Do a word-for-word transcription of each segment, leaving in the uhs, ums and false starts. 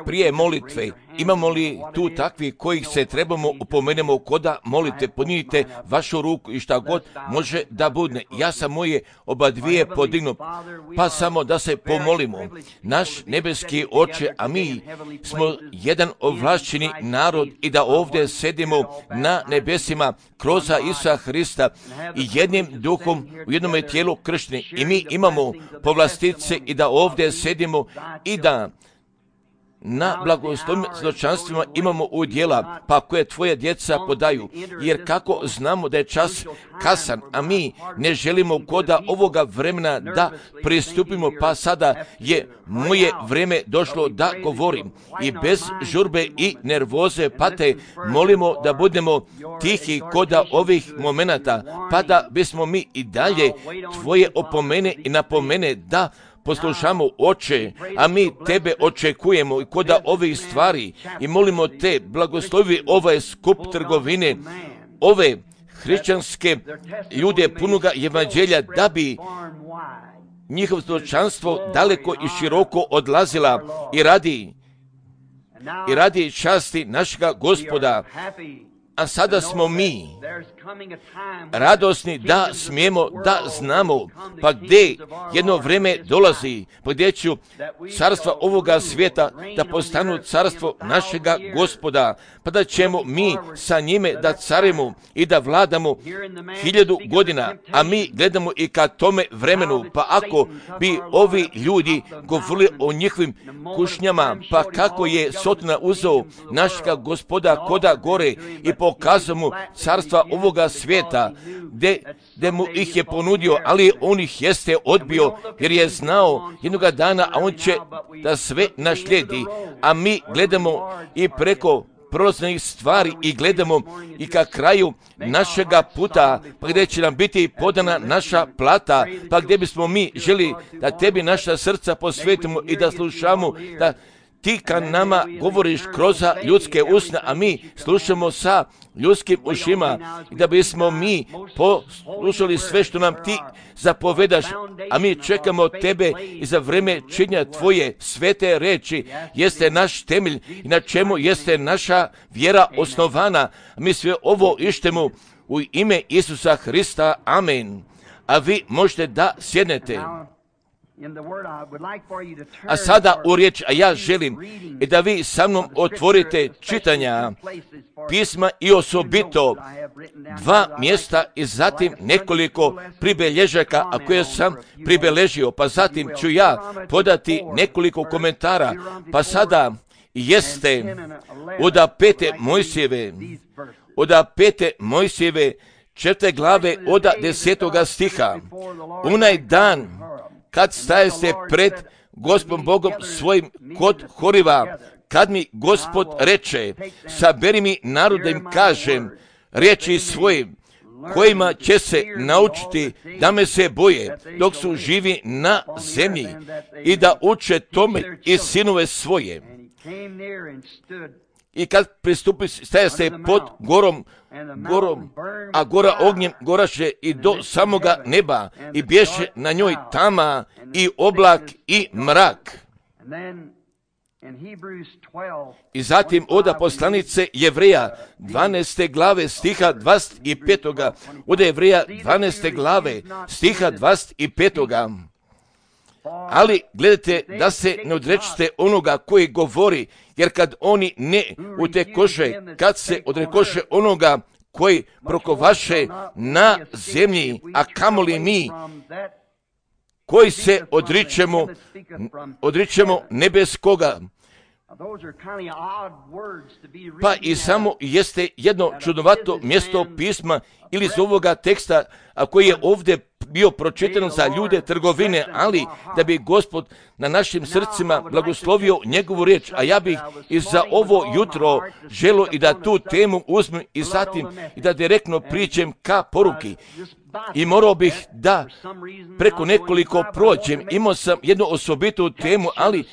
Prije molitve, imamo li tu takvi kojih se trebamo upomenemo koda molite, podignite vašu ruku i šta god može da bude. Ja sam moje oba dvije podignu, pa samo da se pomolimo. Naš nebeski Oče, a mi smo jedan ovlašćeni narod i da ovdje sedimo na nebesima kroz Isusa Hrista i jednim duhom u jednom tijelu kršteni. I mi imamo povlastice i da ovdje sedimo i da na blagoslovnim svjedočanstvima imamo udjela, pa koje tvoje djeca podaju, jer kako znamo da je čas kasan, a mi ne želimo koda ovoga vremena da pristupimo, pa sada je moje vreme došlo da govorim i bez žurbe i nervoze, pa te molimo da budemo tihi koda ovih momenata, pa da bismo mi i dalje tvoje opomene i napomene da poslušamo, Oče, a mi tebe očekujemo i koda ovih stvari i molimo te, blagoslovi ovaj skup trgovine, ove hrišćanske ljude punoga evanđelja, da bi njihovo svjedočanstvo daleko i široko odlazila i radi i radi časti našega Gospoda. A sada smo mi radosni da smijemo, da znamo, pa gdje jedno vrijeme dolazi, pa gdje ću carstva ovoga svijeta da postanu carstvo našega Gospoda, pa da ćemo mi sa njime da carimo i da vladamo hiljadu godina, a mi gledamo i ka tome vremenu, pa ako bi ovi ljudi govorili o njihovim kušnjama, pa kako je Sotona uzeo našega Gospoda koda gore i pokazao mu carstva ovoga svijeta, gdje mu ih je ponudio, ali on ih jeste odbio, jer je znao jednoga dana, a on će da sve našlijedi, a mi gledamo i preko prolaznih stvari i gledamo i ka kraju našega puta, pa gdje će nam biti podana naša plata, pa gdje bismo mi želi da tebi naša srca posvetimo i da slušamo, da ti ka nama govoriš kroz ljudske usne, a mi slušamo sa ljudskim ušima i da bismo mi poslušali sve što nam ti zapovedaš, a mi čekamo tebe i za vreme činja tvoje svete reči jeste naš temelj i na čemu jeste naša vjera osnovana. Mi sve ovo ištemo u ime Isusa Hrista. Amen. A vi možete da sjednete. A sada u riječ, a ja želim i da vi sa mnom otvorite čitanja pisma i osobito dva mjesta i zatim nekoliko pribelježaka, a koje sam pribeležio, pa zatim ću ja podati nekoliko komentara, pa sada jeste od pete Mojsijeve, od pete Mojsijeve četvrte glave od desetoga stiha. Onaj dan kad staje se pred Gospodom Bogom svojim kod Horiva, kad mi Gospod reče, saberi mi narod da im kažem riječi svojim, kojima će se naučiti da me se boje dok su živi na zemlji i da uče tome i sinove svoje. I kad pristupi, staje se pod gorom, gorom, a gora ognjem goraše i do samoga neba i bješe na njoj tama i oblak i mrak. I zatim oda poslanice Jevreja dvanaeste glave stiha dvadeset pet. Oda Jevreja dvanaeste glave stiha dvadeset pet. Ali gledajte da se ne odrečite onoga koji govori, jer kad oni ne utekoše, kad se odrekoše onoga koji prokovaše na zemlji, a kamoli mi koji se odričemo, odričemo nebeskoga. Pa i samo jeste jedno čudnovato mjesto pisma ili iz ovoga teksta, a koji je ovdje bio pročitan za ljude trgovine, ali da bi Gospod na našim srcima blagoslovio njegovu riječ, a ja bih i za ovo jutro želio i da tu temu uzmem i zatim i da direktno priđem ka poruki. I morao bih da preko nekoliko prođem, imao sam jednu osobitu temu, ali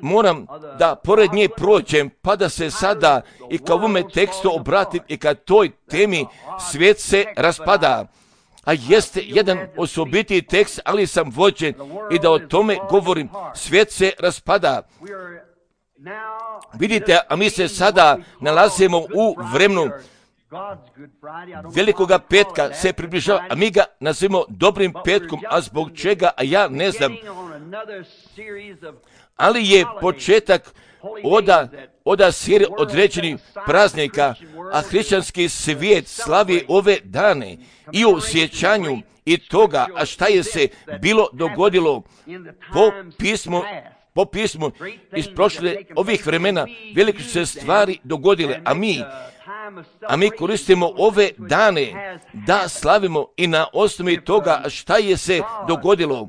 moram da pored nje prođem, pa da se sada i ka ovome tekstu obratim i ka toj temi svijet se raspada. a jeste jedan osobitiji tekst, ali sam vođen i da o tome govorim. Svijet se raspada. Vidite, a mi se sada nalazimo u vremenu Velikoga petka se približava, a mi ga nazivamo dobrim petkom, a zbog čega, a ja ne znam. Ali je početak oda, oda serije određenih praznika, a hrišćanski svijet slavi ove dane i u sjećanju i toga, a šta je se bilo dogodilo po pismu, po pismu iz prošle ovih vremena, velike su se stvari dogodile, a mi A mi koristimo ove dane da slavimo i na osnovi toga šta je se dogodilo.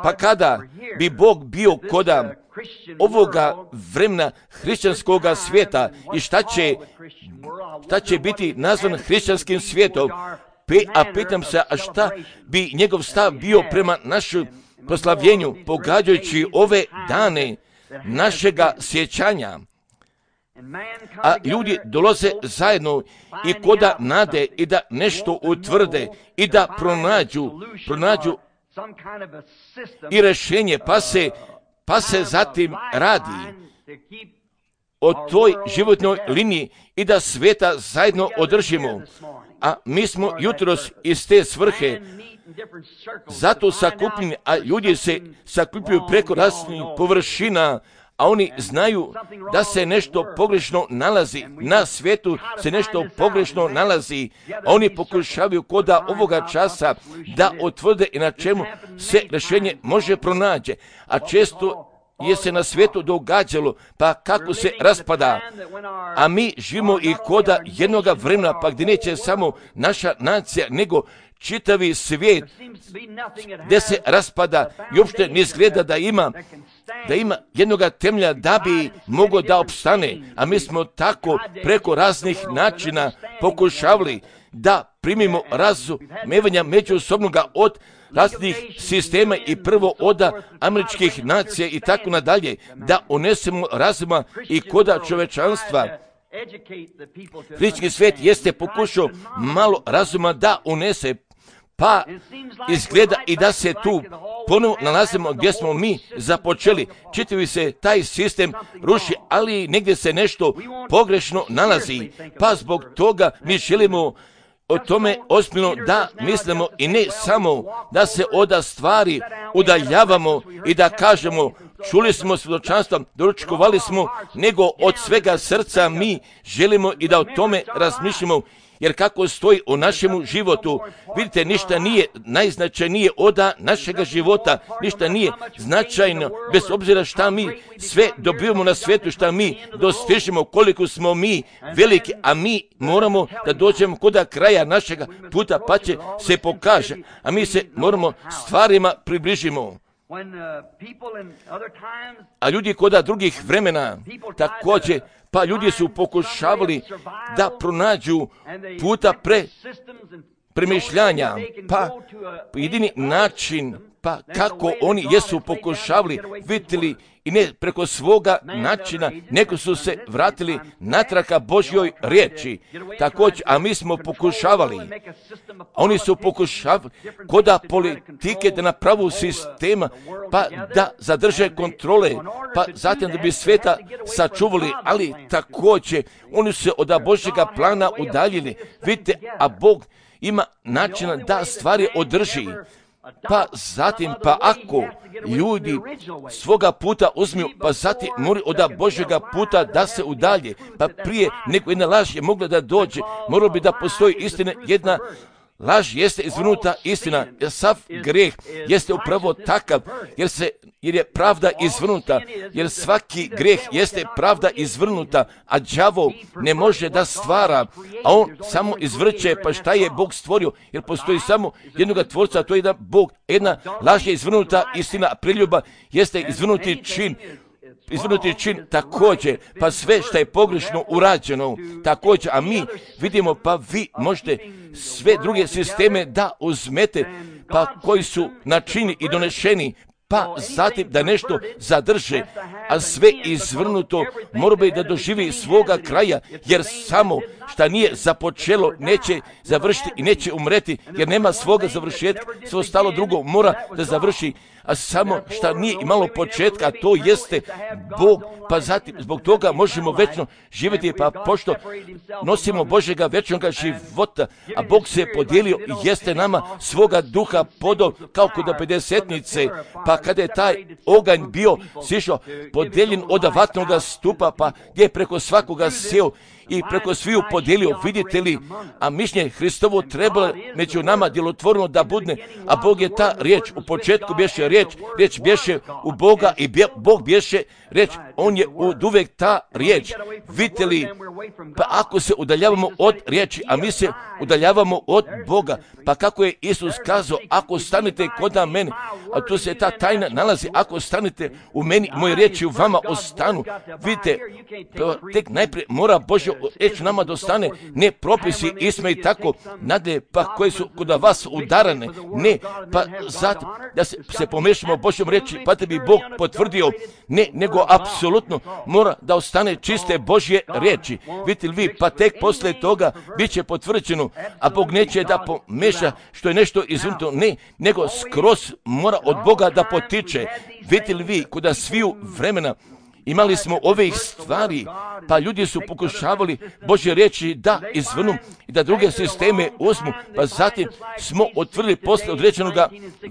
Pa kada bi Bog bio koda ovoga vremena hrišćanskoga svijeta i šta će, šta će biti nazvan hrišćanskim svijetom, a pitam se, a šta bi njegov stav bio prema našem proslavljenju, pogađajući ove dane našega sjećanja. A ljudi dolaze zajedno i koda nade i da nešto utvrde i da pronađu, pronađu i rješenje, pa se, pa se zatim radi o toj životnoj liniji i da sveta zajedno održimo. A mi smo jutros iz te svrhe zato sakupljeni, a ljudi se sakupljuju preko raznih površina, a oni znaju da se nešto pogrešno nalazi, na svijetu se nešto pogrešno nalazi, a oni pokušavaju koda ovoga časa da otvrde i na čemu se rješenje može pronaći, a često je se na svijetu događalo, pa kako se raspada, a mi živimo i koda jednoga vremena, pa gdje neće samo naša nacija, nego čitavi svijet, gdje se raspada i uopšte ne izgleda da ima da ima jednoga temelja da bi mogao da opstane, a mi smo tako preko raznih načina pokušavali da primimo razumevanja međusobnoga od raznih sistema i prvo od američkih nacija i tako nadalje, da unesemo razuma i koda čovečanstva. Hrišćanski svijet jeste pokušao malo razuma da unese, pa izgleda i da se tu ponovo nalazimo gdje smo mi započeli. Čitavi se taj sistem ruši, ali negdje se nešto pogrešno nalazi, pa zbog toga mi želimo o tome ozbiljno da mislimo i ne samo da se od stvari udaljavamo i da kažemo čuli smo svjedočanstvo, doručkovali smo, nego od svega srca mi želimo i da o tome razmišljamo. Jer kako stoji u našemu životu, vidite, ništa nije najznačajnije od našega života, ništa nije značajno, bez obzira šta mi sve dobivamo na svijetu, šta mi dostižemo, koliko smo mi veliki, a mi moramo da dođemo kod kraja našega puta, pa će se pokaže, a mi se moramo stvarima približimo. A ljudi kod drugih vremena također, pa ljudi su pokušavali da pronađu puta pre premišljanja, pa jedini način, pa kako oni jesu pokušavali, vidjeli i ne preko svoga načina, nego su se vratili natraka Božjoj riječi. Također, a mi smo pokušavali, oni su pokušavali koda politike da napravu sistema, pa da zadrže kontrole, pa zatim da bi sveta sačuvali, ali također oni su se od Božjega plana udaljili. Vidite, a Bog ima načina da stvari održi. Pa zatim, pa ako ljudi svoga puta uzmiju, pa zatim moraju od Božjega puta da se udalje, pa prije nego jedna laž je mogla da dođe, moralo bi da postoji istina, jedna laž jeste izvrnuta istina, jer sav greh jeste upravo takav, jer, se, jer je pravda izvrnuta, jer svaki greh jeste pravda izvrnuta, a đavo ne može da stvara, a on samo izvrće, pa šta je Bog stvorio, jer postoji samo jednoga tvorca, a to je jedan Bog, jedna laž je izvrnuta istina, a priljuba jeste izvrnuti čin, izvrnuti čin također, pa sve što je pogrešno urađeno također, a mi vidimo, pa vi možete sve druge sisteme da uzmete, pa koji su načini i donešeni, pa zatim da nešto zadrže, a sve izvrnuto mora bi da doživi svoga kraja, jer samo šta nije započelo, neće završiti i neće umreti, jer nema svoga završetka, sve ostalo drugo mora da završi, a samo šta nije imalo početka, a to jeste Bog, pa zatim zbog toga možemo večno živjeti, pa pošto nosimo Božjega večnoga života, a Bog se podijelio i jeste nama svoga duha podao kao kod pedesetnice, pa kada je taj oganj bio sišao podijeljen od vatnoga stupa, pa gdje je preko svakoga sjeo i preko sviju podijelio, vidite li, a mišljenje Hristovo trebalo među nama djelotvorno da budne, a Bog je ta riječ, u početku bješe riječ, riječ bješe u Boga i bje, Bog bješe riječ, on je od uvijek ta riječ, vidite li, pa ako se udaljavamo od riječi, a mi se udaljavamo od Boga, pa kako je Isus kazao, ako stanete kod mene, a tu se ta tajna nalazi, ako stanete u meni, moje riječi u vama ostanu, vidite, tek najprije mora Božja riječ nama dostane, ne propisi, isme i tako, nadalje, pa koje su kod vas udarane, ne, pa zato da se, se pomešamo Božjom riječi, pa da bi Bog potvrdio, ne, nego apsolutno mora da ostane čiste Božje riječi, vidite li vi, pa tek poslije toga bit će potvrđeno, a Bog neće da pomeša što je nešto izvrnuto, ne, nego skroz mora od Boga da potiče, vidite li vi, kuda sviju vremena imali smo ovih stvari, pa ljudi su pokušavali Božje riječi da izvrnu i da druge sisteme uzmu, pa zatim smo otvorili posle određenog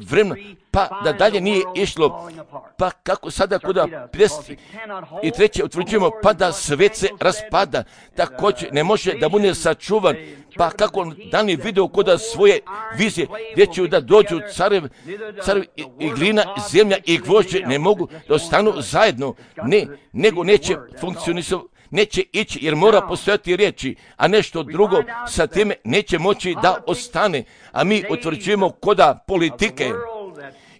vremena, pa da dalje nije išlo, pa kako sada kuda pljesti i treće utvrđujemo, pa da svet se raspada, također ne može da bude sačuvan, pa kako dan je video kuda svoje vizije, gdje će da dođu carev, carev i, i glina, zemlja i gvožđe, ne mogu da ostanu zajedno, ne, nego neće funkcionisati, neće ići jer mora postojati riječi, a nešto drugo sa time neće moći da ostane, a mi utvrđujemo koda politike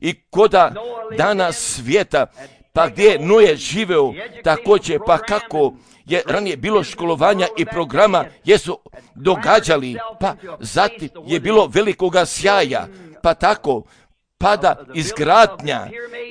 i koda dana svijeta, pa gdje Noe živeo, također, pa kako je ranije bilo školovanja i programa, jesu događali, pa zatim je bilo velikoga sjaja, pa tako pada izgradnja,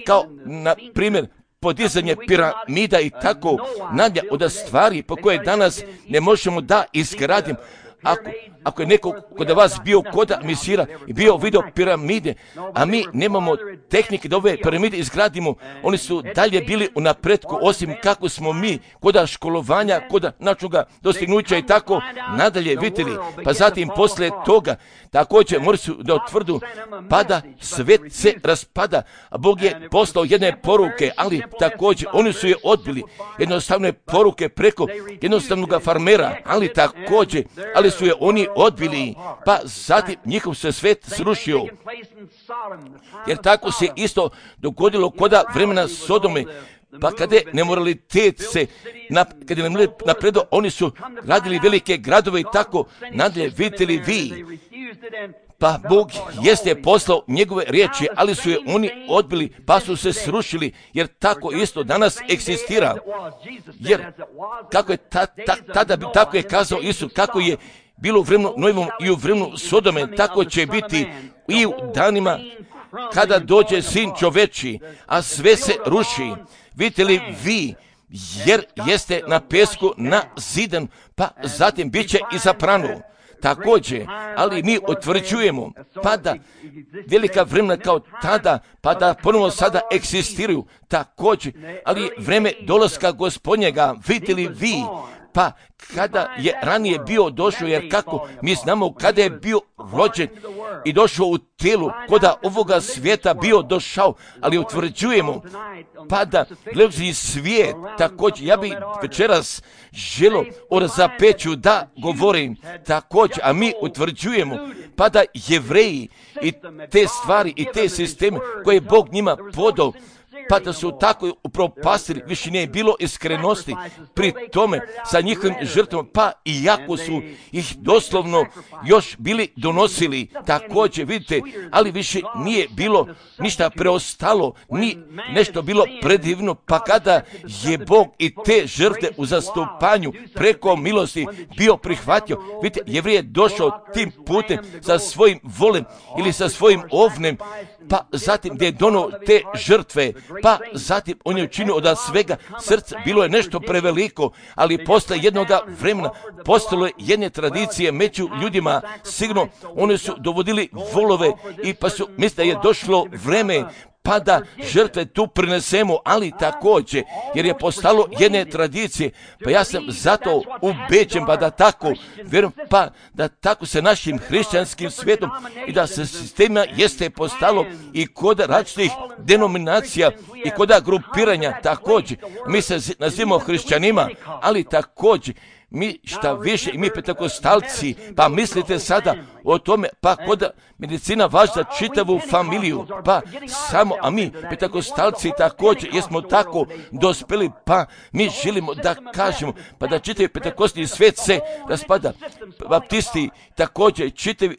kao na primjer podizanje piramida i tako nadalje od stvari po koje danas ne možemo da izgradim. Ako, ako je neko kod vas bio koda misira i bio video piramide, a mi nemamo tehnike da ove piramide izgradimo, oni su dalje bili u napretku, osim kako smo mi koda školovanja, koda načnoga dostignuća i tako nadalje, vidjeli. Pa zatim poslije toga također moraju su da otvrdu, pada, svet se raspada, a Bog je poslao jedne poruke, ali također oni su je odbili, jednostavne poruke preko jednostavnog farmera, ali također, ali su je oni odbili, pa zatim njihov se svet srušio. Jer tako se isto dogodilo koda vremena Sodome, pa kada je nemoralitet se, na, kada je napredo, oni su gradili velike gradove i tako nadalje, vidite li vi. Pa Bog jeste poslao njegove riječi, ali su je oni odbili, pa su se srušili, jer tako isto danas eksistira. Jer kako je ta, ta, tada, tako je kazao Isus, kako je bilo u vremenu Noevom i u vremenu Sodome, tako će biti i u danima kada dođe Sin čoveči, a sve se ruši. Vidite li vi, jer jeste na pesku na zidan, pa zatim bit će i zapranu. Također, ali mi utvrđujemo, pa da velika vremena kao tada, pa da ponovo sada eksistiraju, također, ali vreme dolaska Gospodnjega, vidite li vi, pa kada je ranije bio došao, jer kako mi znamo kada je bio rođen i došao u tijelu, koda ovoga svijeta bio došao, ali utvrđujemo, pa da gledajući svijet, također, ja bih večeras želo o razapeću da govorim, također, a mi utvrđujemo, pa da Jevreji i te stvari i te sisteme koje je Bog njima podao, pa da su tako upropastili, više nije bilo iskrenosti pri tome sa njihovim žrtvom, pa i jako su ih doslovno još bili donosili, također vidite, ali više nije bilo ništa preostalo, ni nešto bilo predivno, pa kada je Bog i te žrtve u zastupanju preko milosti bio prihvatio, vidite, Jevrij je došao tim putem sa svojim volem ili sa svojim ovnem pa zatim gdje je donio te žrtve, pa zatim on je učinio od svega srca, bilo je nešto preveliko, ali posle jednoga vremena postalo je jedne tradicije među ljudima, sigurno oni su dovodili volove i pa su misle da je došlo vreme pa da žrtve tu prinesemo, ali također, jer je postalo jedne tradicije, pa ja sam zato ubeđen, pa da tako, vjerujem, pa da tako se našim hrišćanskim svijetom i da se sistema jeste postalo i kod različitih denominacija i kod grupiranja također. Mi se nazivamo hrišćanima, ali također, mi šta više i mi pentekostalci, pa mislite sada o tome, pa kod medicina važi za čitavu familiju, pa samo, a mi pentekostalci također jesmo tako dospeli, pa mi želimo da kažemo, pa da čitavi pentekostni svijet se raspada, baptisti također čitavi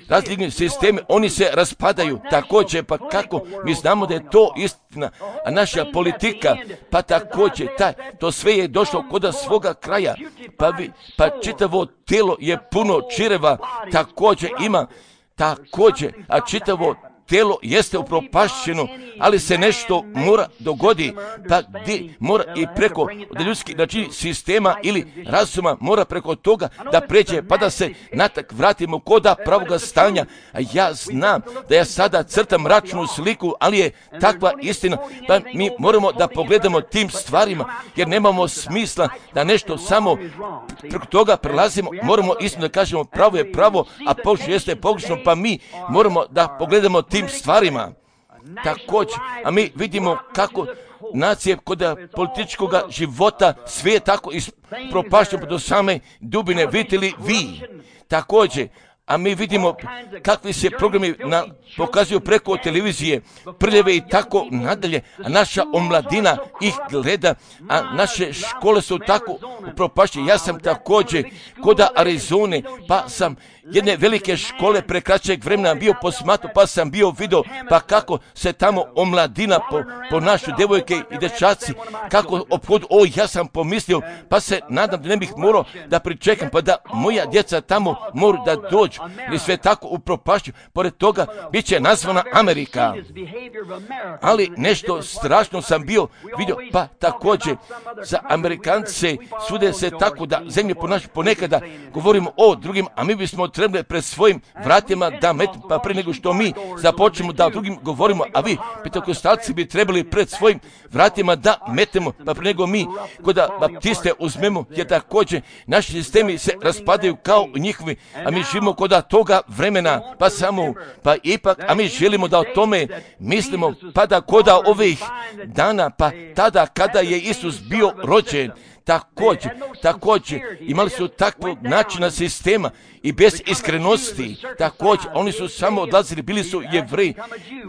različni sistemi, oni se raspadaju također, pa kako mi znamo da je to istina, a naša politika, pa također, taj, to sve je došlo kod svoga kraja, pa, vi, pa čitavo tijelo je puno čireva, također ima, također, a čitavo tijelo jeste upropašćeno, ali se nešto mora dogodi, pa gdje mora i preko ljudskih znači, sistema ili razuma mora preko toga da pređe, pa da se natak vratimo koda pravoga stanja. A ja znam da ja sada crtam mračnu sliku, ali je takva istina, pa mi moramo da pogledamo tim stvarima, jer nemamo smisla da nešto samo preko toga prelazimo, moramo istinu da kažemo pravo je pravo, a pogrešno jeste pogrešno, pa mi moramo da pogledamo tim stvarima. Također, a mi vidimo kako nacije kod političkog života sve je tako ispropašteno do same dubine, vidite li vi također, a mi vidimo kakvi se programi na, pokazuju preko televizije, prljave i tako nadalje, a naša omladina ih gleda, a naše škole su tako upropašćene. Ja sam također kod Arizone, pa sam jedne velike škole pre kraćeg vremena bio posmatro, pa sam bio vidio pa kako se tamo omladina po, po našu devojke i dečaci, kako ophodu, o ja sam pomislio, pa se nadam da ne bih morao da pričekam, pa da moja djeca tamo moraju da dođu, ili sve tako upropašću, pored toga bit će nazvana Amerika. Ali nešto strašno sam bio vidio, pa također za Amerikance sude se tako da zemlje ponašaju ponekada, govorimo o drugim, a mi bismo trebali pred svojim vratima da metimo, pa prije nego što mi započnemo da drugim govorimo, a vi, pentekostalci, bi trebali pred svojim vratima da metemo, pa prije nego mi kod baptiste uzmemo, jer također naši sistemi se raspadaju kao njihovi, a mi živimo kod toga vremena, pa samo, pa ipak, a mi želimo da o tome mislimo, pa da kod ovih dana, pa tada kada je Isus bio rođen, također, također, imali su takvog načina sistema i bez iskrenosti, također, oni su samo odlazili, bili su Jevreji,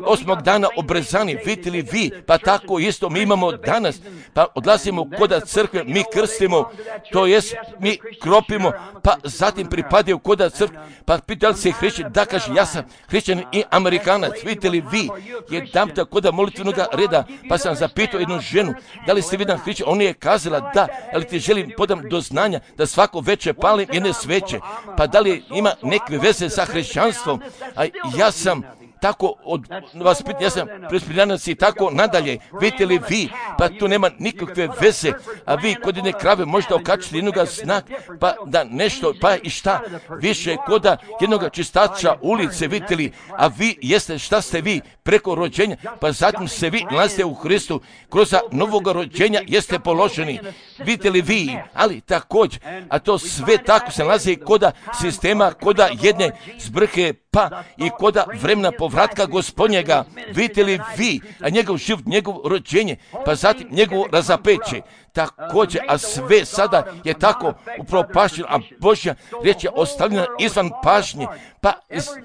osmog dana obrezani, vidjeli vi, pa tako isto mi imamo danas, pa odlazimo kod crkve, mi krstimo, to jest mi kropimo, pa zatim pripadaju kod crkve, pa pitali se hrišćan, da kaže, ja sam hrišćan i Amerikanac, vidite li vi, jedan puta kod molitvenog reda, pa sam zapitao jednu ženu, da li ste vidan hrišćan, ona je kazala da, ali ti želim podam do znanja da svako veče palim jedne sveće, pa da li ima neke veze sa hrišćanstvom, a ja sam tako od vas pitan, ja sam prespirjanac i tako nadalje, vidite li vi, pa tu nema nikakve veze, a vi kod jedne krave možete okačiti jednog znak, pa da nešto, pa i šta, više koda jednog čistača ulice, vidite li, a vi jeste šta ste vi preko rođenja, pa zatim se vi nalazite u Hristu, kroz novog rođenja jeste položeni, vidite li vi, ali također, a to sve tako se nalazi koda sistema, koda jedne zbrke, pa i koda vremena povratka Gospodnjega, vidite li vi, a njegov život, njegov rođenje, pa zatim njegovo razapeće, također, a sve sada je tako upropašćeno, a Božja riječ je ostavljena izvan pažnje, pa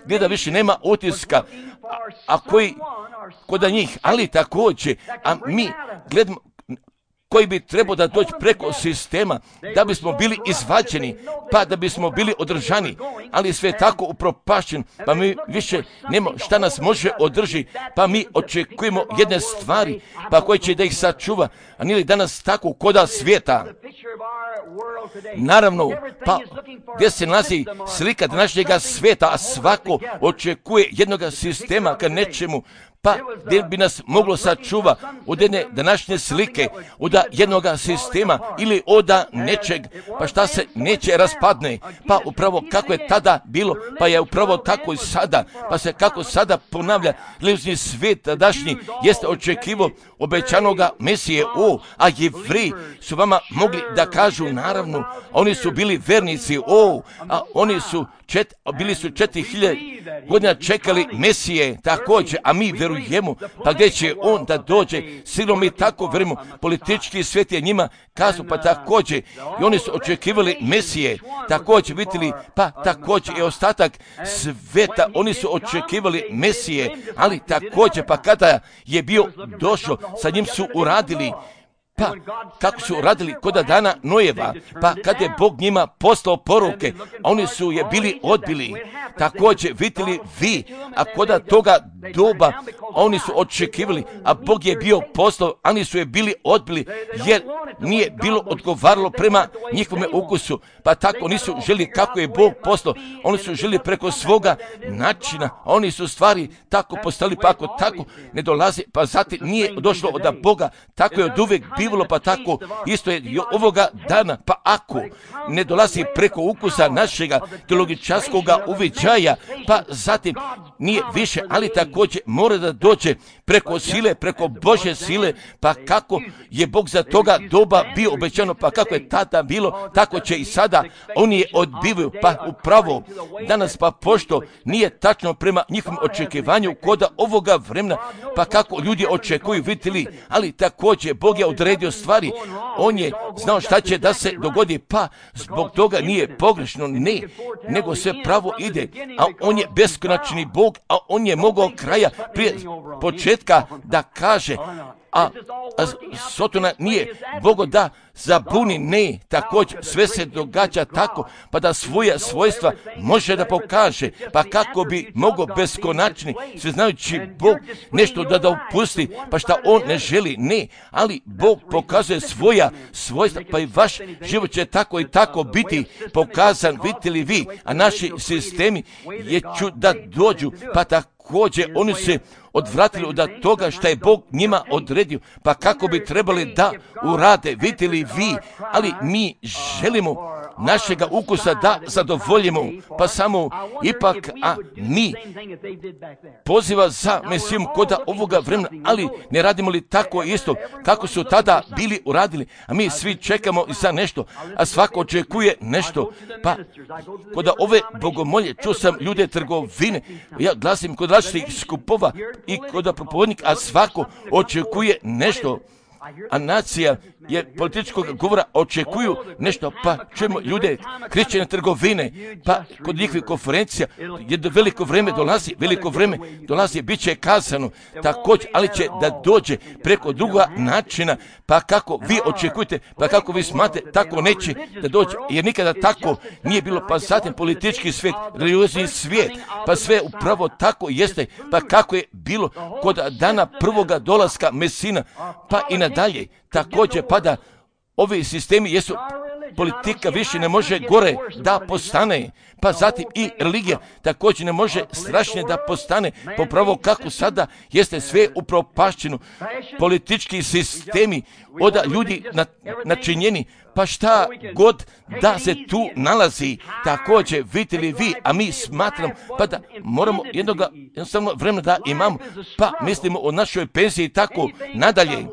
gleda više nema utiska, a, a koji kod njih, ali također, a mi gledamo koji bi trebao da doći preko sistema, da bismo bili izvađeni, pa da bismo bili održani, ali sve tako upropašćen, pa mi više nema šta nas može održi, pa mi očekujemo jedne stvari, pa koji će da ih sačuva, a nije li danas tako koda svijeta. Naravno, pa gdje se nalazi slika današnjega sveta, a svako očekuje jednog sistema ka nečemu, pa gdje bi nas moglo sačuva od jedne današnje slike, od jednog sistema ili od nečeg, pa šta se neće raspadne, pa upravo kako je tada bilo, pa je upravo tako i sada, pa se kako sada ponavlja, religiozni svijet tadašnji jeste očekivo obećanoga Mesije, o, a Jevreji su vama mogli da kažu, naravno, oni su bili vernici, o, a oni su čet, bili su četiri hiljade godina čekali Mesije, također, a mi verujemo, pa gdje će on da dođe, silom mi tako verujemo, politički svijet je njima kazao, pa također, i oni su očekivali Mesije, također, vidjeli, pa također i ostatak sveta, oni su očekivali Mesije, ali također, pa kada je bio došao, sa njim su uradili, pa kako su radili kod dana Nojeva, pa kad je Bog njima poslao poruke, oni su je bili odbili. Također vidjeli vi, a kod toga doba oni su očekivali, a Bog je bio poslao, oni su je bili odbili, jer nije bilo odgovaralo prema njihovome ukusu, pa tako nisu želi kako je Bog poslao, oni su želi preko svoga načina, oni su stvari tako postali, pa ako tako ne dolazi, pa zatim nije došlo od Boga, tako je od uvijek bivalo, pa tako isto je i ovoga dana, pa ako ne dolazi preko ukusa našega teologičarskoga uviđaja, pa zatim nije više, ali također mora da dođe preko sile, preko Božje sile, pa kako je Bog za toga doba bio obećano, pa kako je tada bilo, tako će i sada, oni je odbivaju, pa upravo danas, pa pošto nije tačno prema njihovom očekivanju koda ovoga vremena, pa kako ljudi očekuju, vidjeli, ali također Bog je odredio stvari, on je znao šta će da se dogodi, pa zbog toga nije pogrešno, ne, nego sve pravo ide, a on je beskonačni Bog, a on je mogao kraja prije početka da kaže, a, a Sotona nije Bogo da zabuni, ne, također sve se događa tako, pa da svoja svojstva može da pokaže, pa kako bi mogao beskonačni, sve znajući Bog nešto da da upusti, pa šta on ne želi, ne, ali Bog pokazuje svoja svojstva, pa i vaš život će tako i tako biti pokazan, vidite li vi, a naši sistemi je ću da dođu, pa također oni se odvratili od toga što je Bog njima odredio, pa kako bi trebali da urade, vidite li vi, ali mi želimo našega ukusa da zadovoljimo, pa samo ipak, a mi poziva za Mesijom koda ovoga vremena, ali ne radimo li tako isto kako su tada bili uradili, a mi svi čekamo za nešto, a svako očekuje nešto, pa koda ove bogomolje, čuo sam ljude trgovine, ja glasim kod različitih skupova i kod propovednika, a svako očekuje nešto, a nacija je političkog govora očekuju nešto, pa čujemo ljude kršćane trgovine, pa kod njihovih konferencija jedno veliko vreme dolazi, veliko vreme dolazi, bit će kazano također, ali će da dođe preko druga načina, pa kako vi očekujete, pa kako vi smatrate, tako neće da dođe, jer nikada tako nije bilo, pa zatim politički svijet, religiozni svijet, pa sve upravo tako jeste, pa kako je bilo kod dana prvoga dolaska Mesina, pa i nadalje, također pada ovi sistemi jesu, politika više ne može gore da postane, pa zatim i religija također ne može strašnije da postane, popravo kako sada jeste sve upropašćeno, politički sistemi od ljudi načinjeni, pa šta god da se tu nalazi, također vidite li vi, a mi smatram pa da moramo jednoga jednostavno vremena da imamo, pa mislimo o našoj penziji tako nadalje.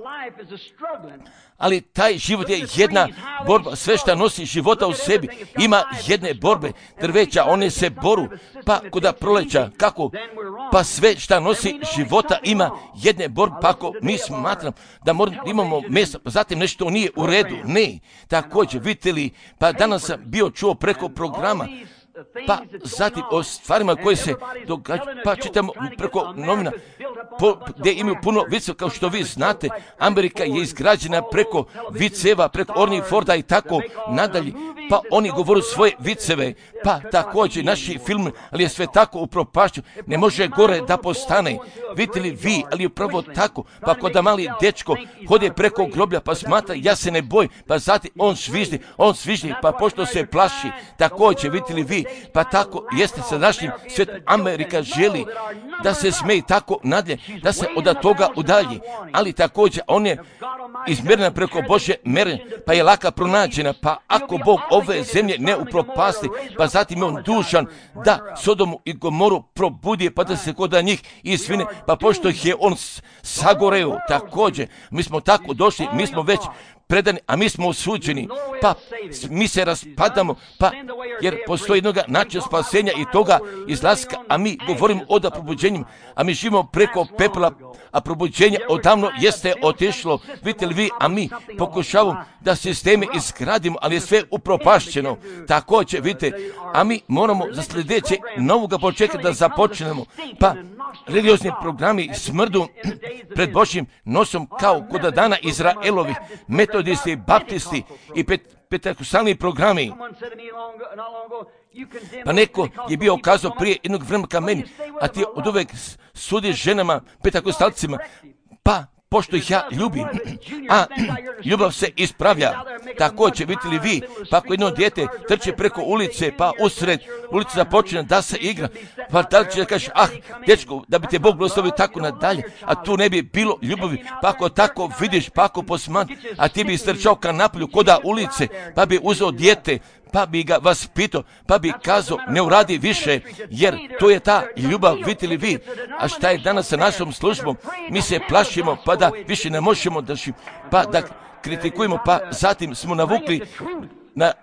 Ali taj život je jedna borba, sve što nosi života u sebi, ima jedne borbe, drveća, one se boru, pa kuda proleća, kako, pa sve što nosi života ima jedne borbe, pa ako mi smatram da moramo, imamo mjesta, pa zatim nešto nije u redu, ne, također, vidite li, pa danas sam bio čuo preko programa, pa zatim o stvarima koje se događaju, pa čitamo preko novina, po, gdje imaju puno viceva, kao što vi znate, Amerika je izgrađena preko viceva, preko Orni Forda i tako nadalje, pa oni govore svoje viceve, pa također naši film, ali je sve tako upropašćeno, ne može gore da postane, vidite li vi, ali upravo tako, pa kod da mali dečko hode preko groblja, pa smatra, ja se ne bojim, pa zatim on sviždi, on sviždi, pa pošto se plaši, također, vidite li vi, pa tako jeste sa našim svijetom. Amerika želi da se smeji tako nadalje, da se od toga udalji, ali također on je izmjerena preko Božje mere, pa je laka pronađena, pa ako Bog ove zemlje ne upropasti, pa zatim je on dužan da Sodomu i Gomoru probudi, pa da se kod njih izvine, pa pošto ih je on sagoreo, također, mi smo tako došli, mi smo već predani, a mi smo osuđeni, pa mi se raspadamo, pa jer postoji jednoga načina spasenja i toga izlaska, a mi govorimo o da probuđenju, a mi živimo preko pepela, a probuđenje odavno jeste otišlo, vidite li vi, a mi pokušavamo da sisteme izgradimo, ali je sve upropašćeno, također, vidite, a mi moramo za sljedeće novoga počeka da započnemo, pa religiozni programi smrdu pred Božjim nosom kao kod dana Izraelovih, metodisti, baptisti i pet, pentekostalni programi. Pa neko je bio kazao prije jednog vremena ka meni, a ti od uvek sudiš ženama, pentekostalcima, pa pošto ih ja ljubim, a ljubav se ispravlja. Također, vidite li vi, pa ako jedno dijete trče preko ulice, pa usred ulice započne da se igra, pa da li će da kažeš, ah, dječko, da bi te Bog blagoslovio tako nadalje, a tu ne bi bilo ljubavi, pa ako tako vidiš, pa ako posman, a ti bi istrčao ka napolju koda ulice, pa bi uzeo dijete, pa bi ga vas pitao, pa bi kazao, ne uradi više, jer to je ta ljubav, vidite li vi. A šta je danas sa našom službom? Mi se plašimo, pa da više ne možemo da ši, pa da kritikujemo, pa zatim smo navukli na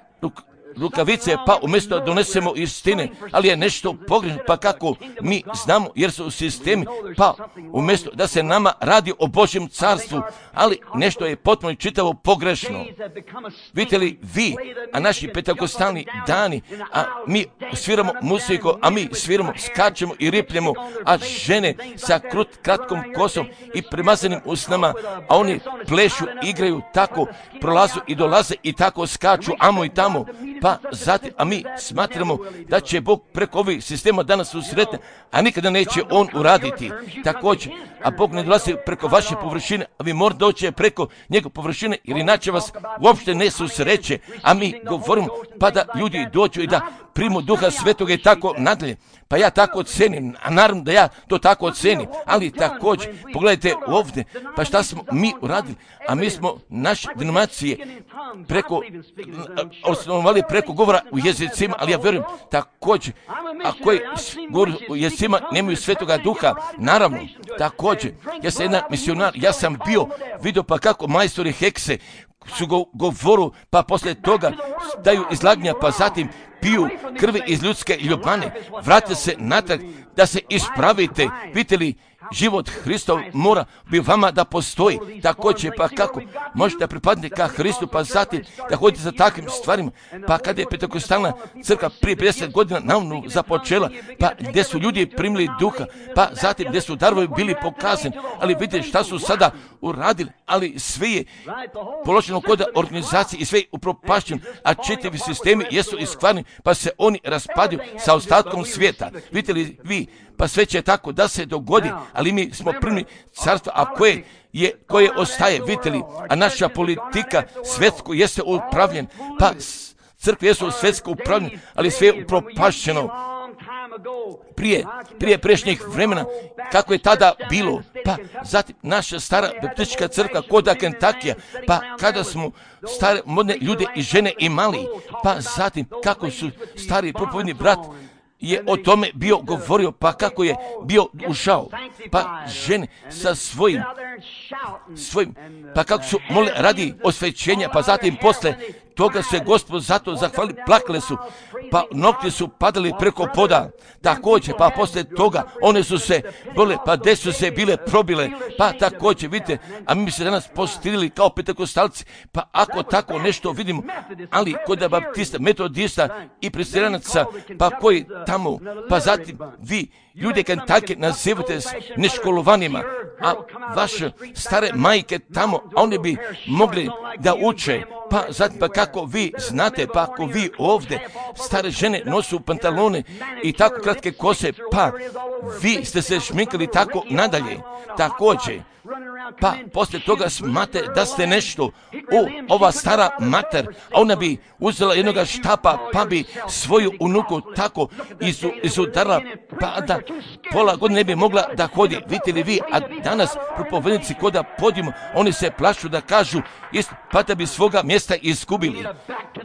rukavice, pa umjesto da donesemo istine, ali je nešto pogrešno, pa kako mi znamo, jer su u sistemi, pa umjesto da se nama radi o Božjem carstvu, ali nešto je potpuno čitavo pogrešno. Vidite li vi, a naši pentekostalni dani, a mi sviramo muziku, a mi sviramo, skačemo i ripljemo, a žene sa krut, kratkom kosom i premazanim usnama, a oni plešu, igraju, tako prolazu i dolaze i tako skaču, amo i tamo, pa zatim, a mi smatramo da će Bog preko ovih sistema danas usretne, a nikada neće on uraditi. Također, a Bog ne dolazi preko vaše površine, a vi morate doći preko njegove površine, jer inače vas uopšte ne susreće, a mi govorimo pa da ljudi dođu i da primu Duha Svetoga i tako nadalje. Pa ja tako ocenim, a naravno da ja to tako ocenim, ali također, pogledajte ovdje, pa šta smo mi uradili, a mi smo naše denominacije preko, osnovali preko govora u jezicima, ali ja vjerujem također, a koji govori u jezicima nemaju Svetoga Duha, naravno, također, ja sam jedan misionar, ja sam bio, vidio pa kako majstori hekse su go, govoru, pa poslije toga daju izlaganja, pa zatim piju krvi iz ljudske ljubane, vrate se natrag da se ispravite, vidite li, život Hristov mora bi vama da postoji, također, pa kako možete pripadniti ka Hristu, pa zatim da hodite za takvim stvarima, pa kada je pentekostalna crkva prije pedeset godina naravno započela, pa gdje su ljudi primili Duha, pa zatim gdje su darovi bili pokazani, ali vidite šta su sada uradili, ali sve je položeno kod organizacije i sve je upropašćeno, a čitavi sistemi jesu iskvarni, pa se oni raspadaju sa ostatkom svijeta. Vidite li vi, pa sve će tako da se dogodi, ali mi smo primili carstvo, a koje je, koje ostaje, vidite li, a naša politika svjetsko jeste upravljen, pa crkve jesu svjetsko upravljene, ali sve je upropašćeno. Prije, prije prešnjih vremena, kako je tada bilo, pa zatim naša stara baptistička crkva koda Kentakija, pa kada smo stare modne ljude i žene imali, pa zatim kako su stari propovedni brat je o tome bio govorio, pa kako je bio ušao, pa žene sa svojim, svojim, pa kako su mole radi osvećenja, pa zatim posle toga se Gospod zato zahvali, plakale su, pa nokti su padali preko poda. Također, pa poslije toga one su se bole, pa gdje su se bile probile, pa također, vidite, a mi bi se danas postirili kao pentekostalci, pa ako tako nešto vidimo, ali kod baptista, metodista i presbiteranaca, pa koji tamo, pa zatim vi, ljude Kentucky nazivate neškolovanima, a vaše stare majke tamo, a oni bi mogli da uče, pa zatim pa kako vi znate, pa ako vi ovdje stare žene nosu pantalone i tako kratke kose, pa vi ste se šminkali tako nadalje, također. Pa poslije toga smate da ste nešto, u ova stara mater, a ona bi uzela jednoga štapa, pa bi svoju unuku tako izu, izudarala, pa da pola godine ne bi mogla da hodi. Vidite li vi, a danas propovednici koda podimo, oni se plašu da kažu, ist, pa da bi svoga mjesta izgubili.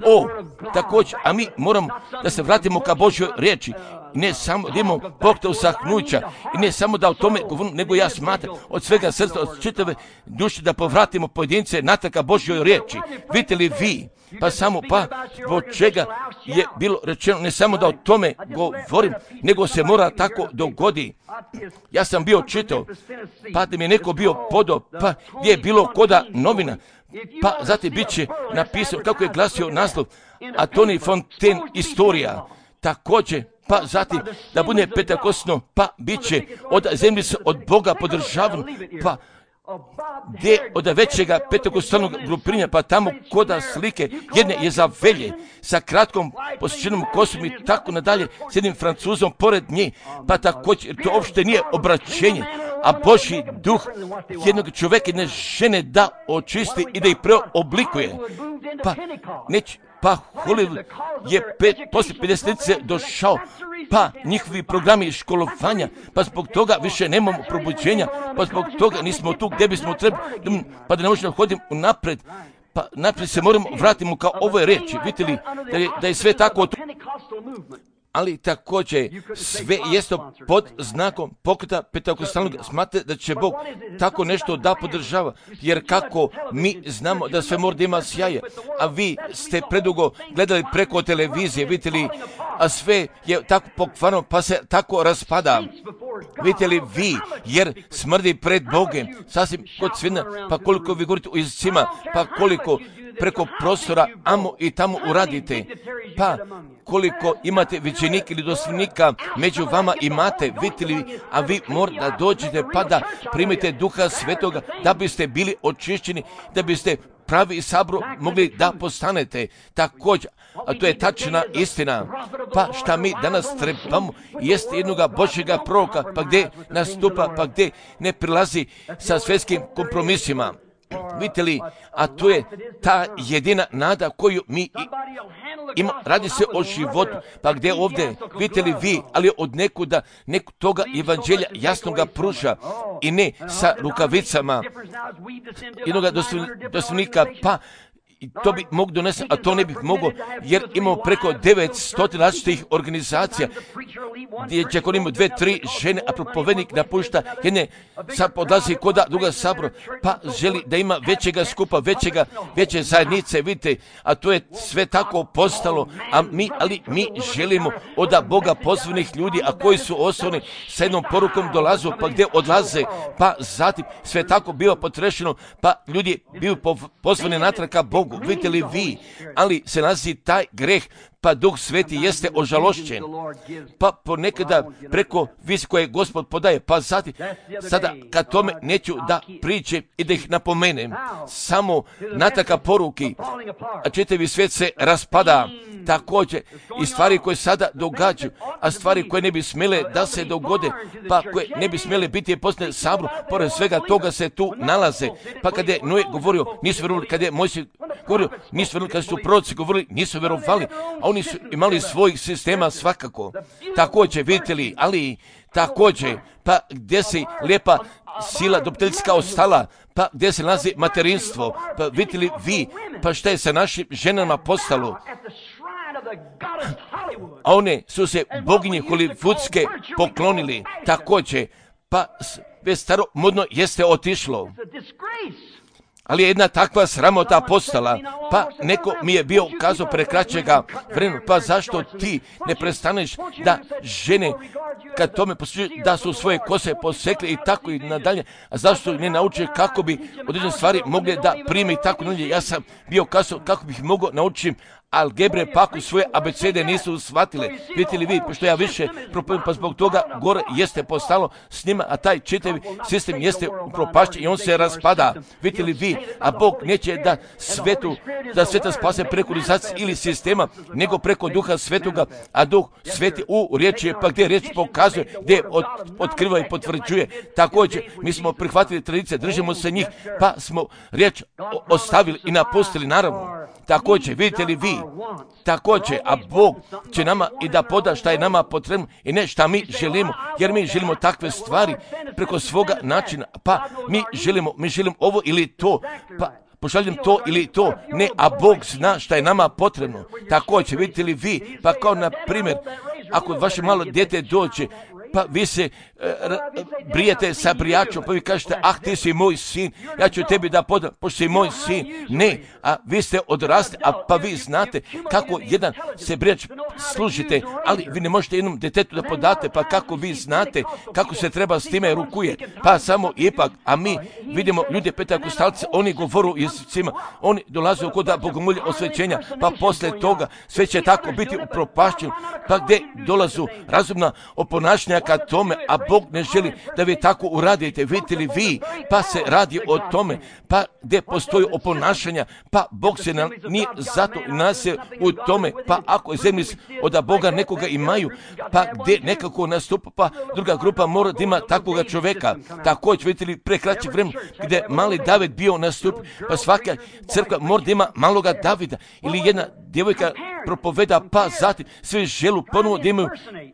O, također, a mi moramo da se vratimo ka Božjoj riječi. Ne samo da imamo Bog te usahnuća i ne samo da o tome govorim, nego ja smatram od svega srca, od čitave duše da povratimo pojedince natrag ka Božjoj riječi. Vidite li vi, pa samo pa zbog čega je bilo rečeno ne samo da o tome govorim, nego se mora tako dogodi. Ja sam bio čitao, pa da mi je neko bio podao, pa gdje je bilo koda novina, pa zatim bit će napisano kako je glasio naslov, a Tony Fontaine istorija, također. Pa zatim da bude pentekosno, pa bit će od zemlje od Boga podržavan, pa gdje od većega pentekostalnog grupiranja, pa tamo koda slike jedne je za velje sa kratkom posjećenom kosom i tako nadalje s jednim Francuzom pored nje, pa također to uopšte nije obraćenje, a Božji duh jednog čovjeka, jedne žene da očisti i da ih preoblikuje. Pa neće, pa Hollywood je pet, poslije pedesetnice došao, pa njihovi programi školovanja, pa zbog toga više nemamo probuđenja, pa zbog toga nismo tu gdje bismo trebali, pa da ne možemo hoditi napred, pa naprijed se moramo vratiti kao ove reči. Vidite li da je, da je sve tako, ali također sve jeste pod znakom pokreta pentekostalnog. Smatrate da će Bog tako nešto da podržava, jer kako mi znamo da sve mora da ima sjaje, a vi ste predugo gledali preko televizije, vidite li, a sve je tako pokvarno, pa se tako raspada. Vidite li vi, jer smrdi pred Bogom, sasvim kod svina, pa koliko vi govorite o jezicima, pa koliko preko prostora amo i tamo uradite, pa koliko imate viđenika ili doslovnika među vama imate, vidite li, a vi morate da dođete pa da primite Duha Svetoga, da biste bili očišćeni, da biste pravi sabor mogli da postanete također, a to je tačna istina. Pa šta mi danas trebamo jeste jednoga Božjega proroka, pa gdje nastupa, pa gdje ne prilazi sa svjetskim kompromisima. Vidite li, a to je ta jedina nada koju mi ima, radi se o životu, pa gdje ovdje, vidite li vi, ali od nekuda, nek toga evanđelja jasno ga pruža i ne sa rukavicama jednoga doslovnika, pa i to bi mogu donesti, a to ne bih mogao, jer imamo preko devetsto različitih organizacija, gdje će ako imamo dve, tri žene, a propovednik napušta jedne, sad podlazi koda druga sabor, pa želi da ima većega skupa, većega, veće zajednice, vidite, a to je sve tako postalo, a mi, ali mi želimo od Boga pozvanih ljudi, a koji su osnovni sa jednom porukom dolazu, pa gdje odlaze, pa zatim sve tako biva potrešeno, pa ljudi bivaju pozvani natrag ka Bogu. Vidite li vi, ali se nalazi taj greh, pa Duh Sveti jeste ožalošćen, pa ponekada preko visi koje Gospod podaje, pa zatim, sada kad tome neću da priče i da ih napomenem, samo nataka poruki, a čitavi svijet se raspada, također i stvari koje sada događaju, a stvari koje ne bi smjele da se dogode, pa koje ne bi smjele biti poslije sabor, pored svega toga se tu nalaze, pa kada je Noe govorio, nisu vjerovali, kada je Mojsije govorio, nisu vjerovali, kada su proroci govorili, nisu vjerovali, a oni su imali svojih sistema svakako. Također, vidite li, ali također, pa gdje se lijepa sila dobiteljska ostala, pa gdje se nalazi materinstvo, pa vidite li vi, pa šta je sa našim ženama postalo? A one su se boginje holivudske poklonili, također, pa sve staro modno jeste otišlo. Ali je jedna takva sramota postala, pa neko mi je bio kazao pre kraćega vremena, pa zašto ti ne prestaneš da žene, kad tome poslušaju, da su svoje kose posekle i tako i nadalje, a zašto ne nauče kako bi određene stvari mogli da prime i tako nadalje. Ja sam bio kazao kako bih mogao naučiti algebre, pa ako svoje abecede nisu shvatile. Vidite li vi, pošto ja više propovim, pa zbog toga gore jeste postalo s njima, a taj čitavi sistem jeste upropašćen i on se raspada. Vidite li vi, a Bog neće da svetu, da sveta spase preko organizacije ili sistema, nego preko Duha Svetoga, a Duh Sveti u riječi je, pa gdje riječ pokazuje, gdje od, otkriva i potvrđuje. Također, mi smo prihvatili tradicije, držimo se njih, pa smo riječ ostavili i napustili, naravno. Također, vidite li vi, također, a Bog će nama i da poda šta je nama potrebno i ne šta mi želimo, jer mi želimo takve stvari preko svoga načina, pa mi želimo, mi želimo ovo ili to, pa pošaljem to ili to, ne, a Bog zna šta je nama potrebno. Također, vidite li vi, pa kao na primjer, ako vaše malo dijete dođe, pa vi se e, brijete sa brijačom, pa vi kažete, ah, ti si moj sin, ja ću tebi da podam, pošto si moj sin. Ne, a vi ste odrasli, a pa vi znate kako jedan se brijač služite, ali vi ne možete jednom detetu da podate, pa kako vi znate kako se treba s time rukuje. Pa samo ipak, a mi vidimo ljude pentakostalce, oni govoru jezicima, oni dolaze u koda bogomolje osvećenja, pa posle toga sve će tako biti upropašćeno, pa gdje dolazu razumna oponašnja ka tome, a Bog ne želi da vi tako uradite. Vidite li vi, pa se radi o tome, pa gdje postoji oponašanja, pa Bog se na, nije zato nas je u tome, pa ako je zemlji od Boga nekoga imaju, pa gdje nekako nastupa, pa druga grupa mora da ima takvoga čoveka. Također, vidite li, pre kraćeg vremena gdje mali David bio nastup, pa svaka crkva mora da ima maloga Davida, ili jedna djevojka propoveda, pa zatim sve želu ponovo da imaju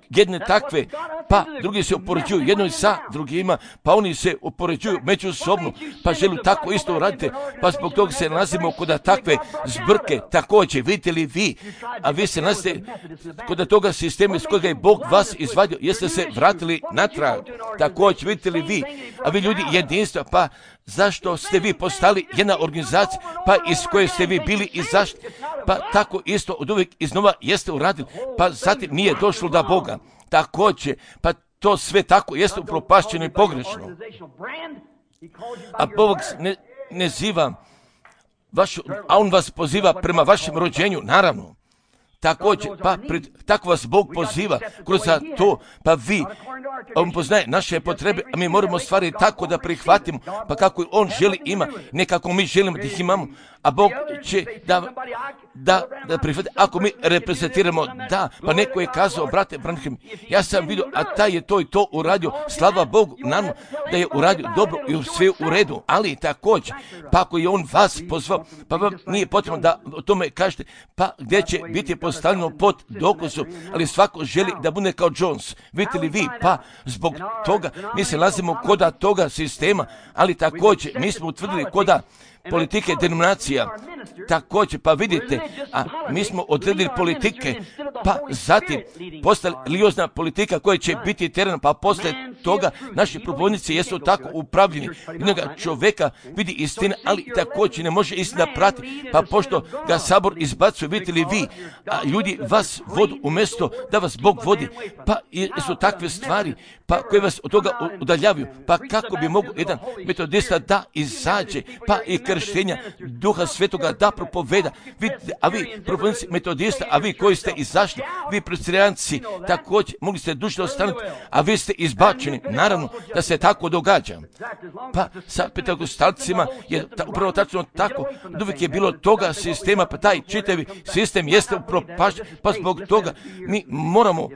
jedne takve, pa drugi se upoređuju jedno sa drugima, pa oni se upoređuju međusobno, pa želu tako isto uraditi, pa zbog toga se nalazimo kod takve zbrke. Također, vidite li vi, a vi se nalazite kod toga sistema iz kojega je Bog vas izvadio, jeste se vratili natrag. Također, vidite li vi, a vi ljudi jedinstva, pa zašto ste vi postali jedna organizacija, pa iz koje ste vi bili i zašto, pa tako isto od uvijek iznova jeste uradili, pa zatim nije došlo do Boga. Također, pa to sve tako jeste upropašćeno i pogrešno. A Bog ne, ne ziva vašu, a on vas poziva prema vašem rođenju, naravno. Također, pa pred, tako vas Bog poziva kroz to, pa vi, on poznaje naše potrebe, a mi moramo stvari tako da prihvatimo, pa kako on želi ima, ne kako mi želimo da ih imamo, a Bog će da, da, da prihvati, ako mi reprezentiramo, da, pa neko je kazao, brate Branham, ja sam vidio, a taj je to i to uradio, slava Bogu, nam da je uradio dobro i sve u redu, ali također, pa ako je on vas pozvao, pa vam nije potrebno da o tome kažete, pa gdje će biti postavljeno pod dokazom, ali svako želi da bude kao Jones. Vidite li vi, pa zbog toga mi se nalazimo koda toga sistema, ali također mi smo utvrdili koda politike denominacija. Također, pa vidite, a mi smo odredili politike, pa zatim postala religiozna politika koja će biti teren, pa posle toga naši propovjednici jesu tako upravljeni. Jednoga čovjeka vidi istine, ali također ne može istina prati, pa pošto ga sabor izbacuje, vidite li vi, a ljudi vas vodu umjesto da vas Bog vodi, pa su takve stvari, pa koje vas od toga udaljavaju, pa kako bi mogu jedan metodista da izađe, pa i krštenja Duha Svetoga da propoveda, vidite, a vi propovjednici metodista, a vi koji ste izašli, vi presbiterijanci također mogli ste duše ostanuti, a vi ste izbačeni, naravno da se tako događa. Pa sa pentakostalcima je ta, upravo tačno tako, uvijek je bilo toga sistema, pa taj čitavi sistem jeste upropašten, pa zbog toga mi moramo,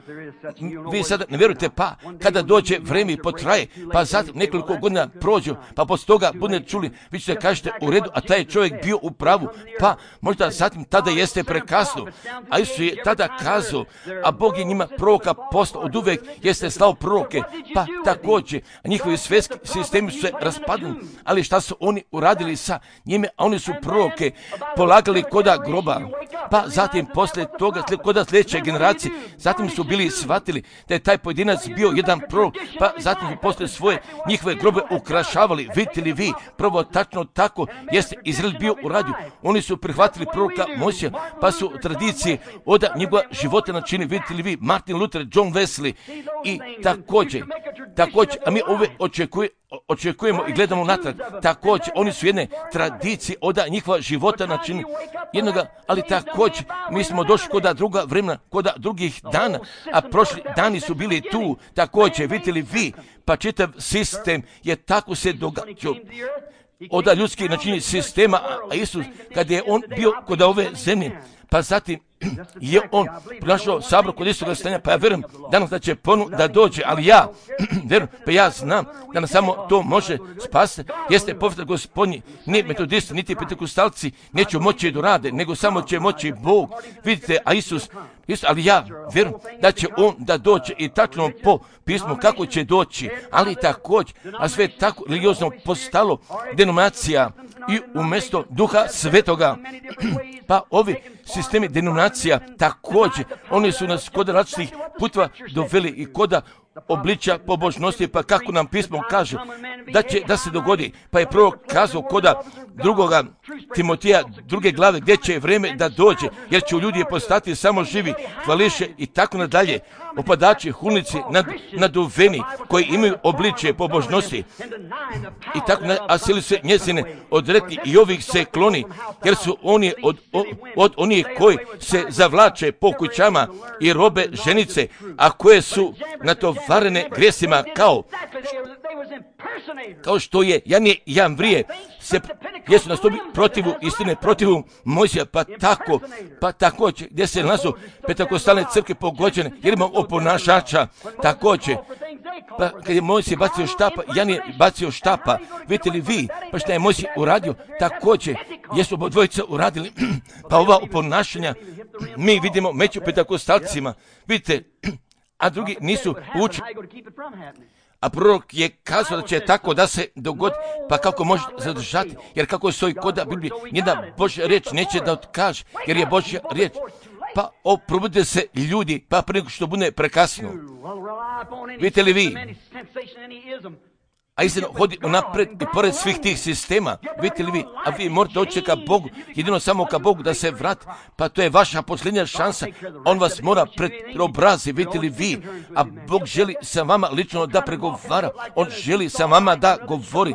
vi sada ne vjerujete, pa kada dođe vrijeme i potraje, pa zatim nekoliko godina prođu, pa poslije toga budete čuli, vi ćete kažete u redu, a taj je čovjek bio u pravu, pa možda zatim tada jeste prekasno. A Isus je tada kazao, a Bog je njima proroka poslao, od uvijek jeste slao proroke, pa također, a njihovi svjetski sistemi su se raspadali, ali šta su oni uradili sa njime, a oni su proroke polagali koda groba, pa zatim poslije toga, koda sljedeće generacije, zatim su bili shvatili da je taj pojedinac bio jedan prorok, pa zatim su poslije svoje njihove grobe ukrašavali, vidite li vi, prvo tačno tako jeste Izrael bio u radiju. Oni su prihvatili proroka Mojsija, pa su tradicije od njegova života načini, vidite li vi, Martin Luther, John Wesley i također, također, a mi ove očekuje, očekujemo i gledamo natrag, također, oni su jedne tradicije od njihova života načini jednoga, ali također, mi smo došli kod druga vremena, kod drugih dana, a prošli dani su bili tu, također, vidite li vi, pa čitav sistem je tako se događao od ljudskih načini sistema, a Isus, kad je on bio kod ove zemlje, pa zatim je on pronašao sabor kod istoga stanja, pa ja vjerujem danas da će ponovno da dođe, ali ja vjerujem, pa ja znam da nas samo to može spasiti, jeste povratak Gospodnji, ni metodisti, niti pentekostalci neće moći da rade, nego samo će moći Bog. Vidite, a Isus, Isus, ali ja vjerujem da će on da dođe i tačno po pismu kako će doći, ali također, a sve tako religiozno postalo denominacija i umjesto Duha Svetoga, pa ovi sistemi denominacija također, oni su nas kod različitih puteva doveli i kod obličja pobožnosti, pa kako nam pismo kaže da će da se dogodi, pa je prvo kazao kod drugoga Timotija druge glave gdje će vrijeme da dođe, jer će ljudi postati samo živi hvališe i tako nadalje, opadači, hulnici, nad, naduveni koji imaju obličje pobožnosti i tako nadalje, a sili se njezine odrekli i ovih se kloni, jer su oni od, od, od onih koji se zavlače po kućama i robe ženice, a koje su natovarene grijesima kao kao što je Janije i Jamvrije se jesu nastupili protivu istine, protivu Mojsija, pa tako, pa također, gdje se nalazu pentekostalne crkve pogođene, jer imamo oponašača, također, pa kad je Mojsije bacio štapa, Janije bacio štapa, vidite li vi, pa šta je Mojsije uradio, također, jesu obodvojica uradili, pa ova oponašanja, mi vidimo među pentekostalcima, vidite, a drugi nisu učili. A prorok je kazao da će tako da se dogodi, pa kako može zadržati, jer kako stoji kod Biblije, njena Božja riječ neće da otkaže, jer je Božja riječ. Pa oprobude se ljudi, pa prije što bude prekasno. Vidite li vi? A istina hodi unapred i pored svih tih sistema, vidite li vi, a vi morate oći ka Bogu, jedino samo ka Bogu da se vrati, pa to je vaša posljednja šansa, on vas mora preobrazi, vidite li vi, a Bog želi sa vama lično da pregovara, on želi sa vama da govori,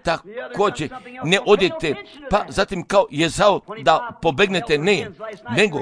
također ne odete, pa zatim kao Jezao da pobegnete, ne, nego,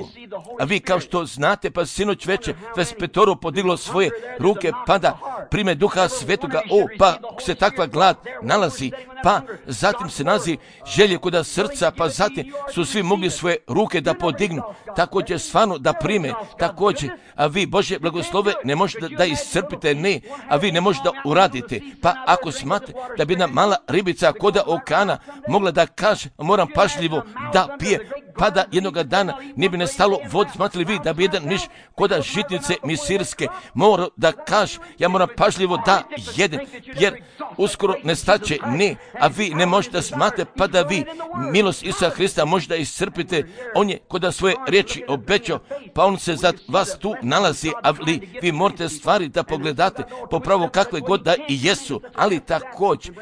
a vi kao što znate, pa sinoć veče, dvadeset petoro podiglo svoje ruke, pa da prime Duha Svetoga, o, pa se takva glad nalazi, pa zatim se nalazi želje kod srca, pa zatim su svi mogli svoje ruke da podignu, također stvarno da prime, također, a vi Božje blagoslove ne možete da, da iscrpite, ne, a vi ne možete da uradite, pa ako smate da bi jedna mala ribica kod okana mogla da kaže, moram pažljivo da pije, pa da jednoga dana ne bi nestalo vode, smatrali vi da bi jedan miš kod žitnice misirske mora da kaže, ja moram pažljivo da jedem, jer uskoro nestaće, ne, a vi ne možete da smate, pa da vi milost Isusa Hrista možete da iscrpite, on je kod svoje riječi obećao, pa on se za vas tu nalazi, ali vi morate stvari da pogledate popravo kakve god da i jesu, ali također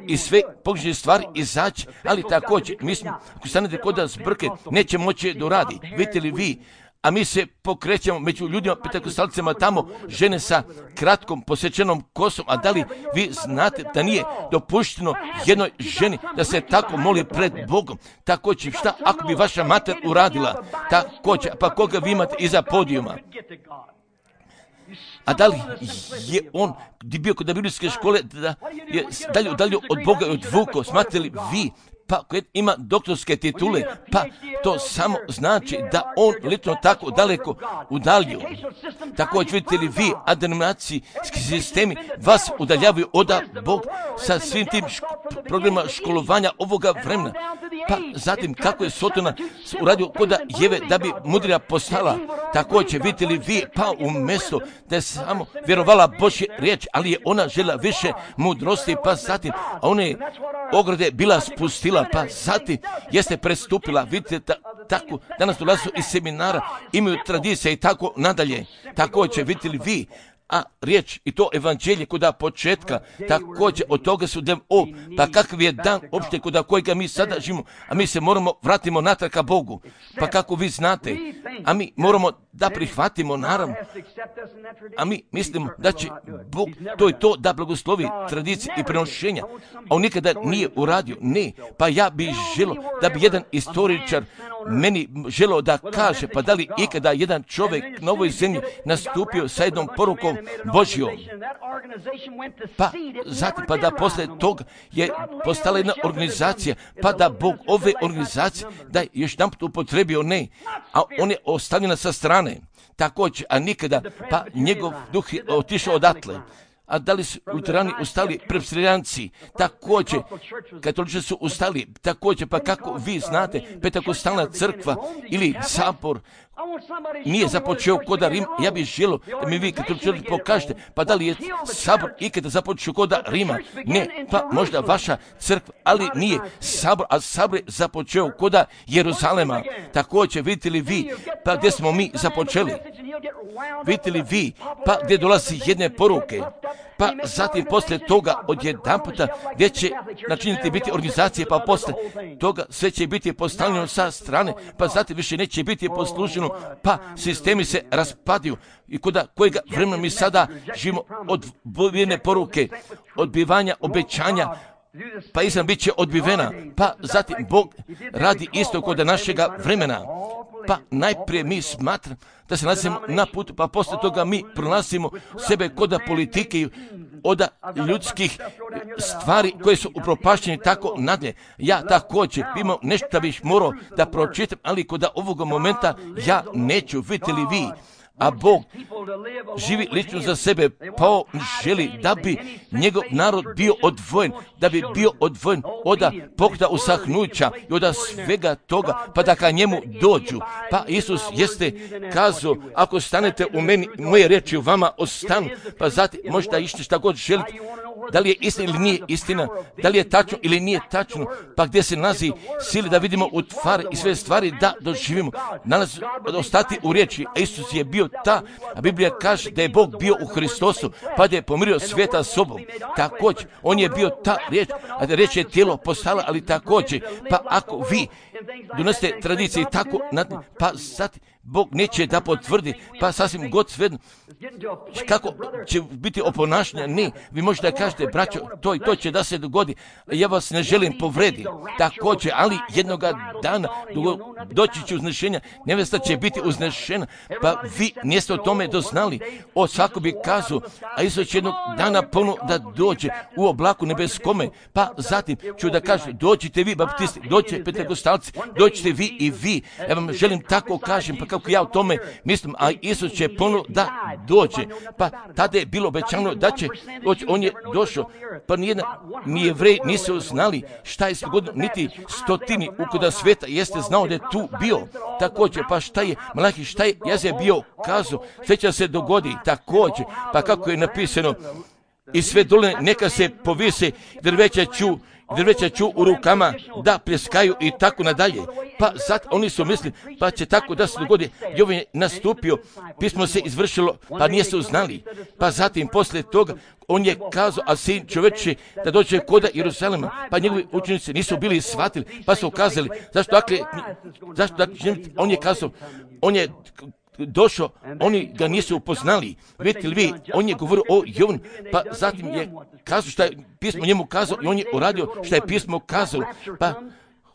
i sve pogrešne stvari izaći, ali također mi smo, ako stanete kod zbrke, neće moći da radi, vidite li vi, a mi se pokrećemo među ljudima, pentekostalcima tamo, žene sa kratkom posjećenom kosom, a da li vi znate da nije dopušteno jednoj ženi da se tako moli pred Bogom? Također, šta ako bi vaša mater uradila? Također, pa koga vi imate iza podijuma? A da li je on bio kod biblijske škole da je dalje, dalje od Boga i odvukao? Smatrate li vi, pa koji ima doktorske titule, pa to samo znači da on lično tako daleko udaljio. Također vidite li vi, a denominacijski sistemi vas udaljavaju od Bog sa svim tim ško- programima školovanja ovoga vremena. Pa zatim kako je Sotona uradio kod Jeve da bi mudrija postala. Također vidite li vi, pa umjesto da je samo vjerovala Božje riječ, ali je ona žela više mudrosti, pa zatim, a ona je ograde bila spustila, pa zatim jeste prestupila, vidite ta, tako, danas dolazu iz seminara, imaju tradicije i tako nadalje. Također vidite li vi, a riječ i to evanđelje kuda početka, također od toga su dem, o, pa kakav je dan opšte kuda kojega mi sada živimo, a mi se moramo vratimo natrag ka Bogu, pa kako vi znate, a mi moramo da prihvatimo, naravno, a mi mislimo da će Bog to i to da blagoslovi tradicije i prenošenja, a on nikada nije uradio, ne, pa ja bih želio da bi jedan istoričar meni želeo da kaže, pa da li ikada jedan čovjek na ovoj zemlji nastupio sa jednom porukom Božjom, pa zatim pa da posle toga je postala jedna organizacija, pa da Bog ove organizacije da je još jedan put upotrebio, ne, a on je ostavljena sa strane, također, a nikada, pa njegov duh je otišao odatle. A da li su luterani ustali, presbiteranci, također, katolici su ustali, također, pa kako vi znate, Pentekostalna crkva ili sabor nije započeo koda Rim, ja bih želio da mi vi katolici pokažete, pa da li je sabor ikada započeo koda Rima, ne, pa možda vaša crkva, ali nije sabor, a sabor je započeo koda Jeruzalema, također, vidite li vi, pa gdje smo mi započeli, vidite li vi, pa gdje dolazi jedne poruke, pa zatim posle toga od jedan puta gdje će načiniti biti organizacije, pa posle toga sve će biti postavljeno sa strane, pa zatim više neće biti posluženo, pa sistemi se raspadaju i kuda kojega vremena mi sada živimo odbijene poruke, odbivanja obećanja, pa istina bit će odbivena, pa zatim Bog radi isto kod našega vremena, pa najprije mi smatram da se nalazimo na putu, pa posle toga mi pronalazimo sebe kod politike od ljudskih stvari koje su upropašćene tako nadalje. Ja također imam nešto da bih morao da pročitam, ali kod ovoga momenta ja neću, vidite li vi, a Bog živi lično za sebe, pa on želi da bi njegov narod bio odvojen, da bi bio odvojen od pokreta usahnuća i od svega toga, pa da ka njemu dođu. Pa Isus jeste kazao, ako stanete u meni, moje riječi u vama ostanu, pa zatim možda išli šta god želite, da li je istina ili nije istina, da li je tačno ili nije tačno, pa gdje se nalazi sili da vidimo u tvari i sve stvari da doživimo, nalazi ostati u riječi, a Isus je bio ta, a Biblija kaže da je Bog bio u Hristosu, pa da je pomirio svijeta sobom, također, on je bio ta riječ, a da riječ je tijelo postala, ali također, pa ako vi donosite tradicije i tako, pa zatim Bog neće da potvrdi, pa sasvim god svedno, kako će biti oponašanja, ne, vi možete da kažete, braćo, to i to će da se dogodi, ja vas ne želim povrediti, također, ali jednoga dana doći će uznešenja, nevesta će biti uznešena, pa vi niste o tome doznali, o svako bi kazao, a Isus će jednog dana ponovno da dođe u oblaku nebeskome, pa zatim ću da kažem, dođite vi, baptisti, dođite pentekostalci, dođite vi i vi, ja vam želim tako kažem, pa kako ja o tome mislim, a Isus će ponovno da dođe, pa tada je bilo obećano da će doći, on je došao, pa nijedna, ni Jevreji nisu znali šta je se dogodilo, niti stotini ukuda sveta jeste znao da je tu bio, također, pa šta je, Malahi, šta je, Jazija bio kazao, sve će se dogodi, također, pa kako je napisano, i sve doline neka se povise, drveća ću, drveća ću u rukama da pljeskaju i tako nadalje. Pa zato oni su mislili, pa će tako da se dogodi. I ovo je nastupio, pismo se izvršilo, pa nije se uznali. Pa zatim, posle toga, on je kazao, a sin čoveče da dođe koda Jerusalema, pa njegovi učenici nisu bili shvatili, pa su kazali, zašto dakle, zašto dakle, on je kazao, on je došao, oni ga nisu upoznali. Vidite li vi, on je govorio o Jovanu, pa zatim je kazao šta je pismo njemu kazao i on je uradio šta je pismo kazalo. Pa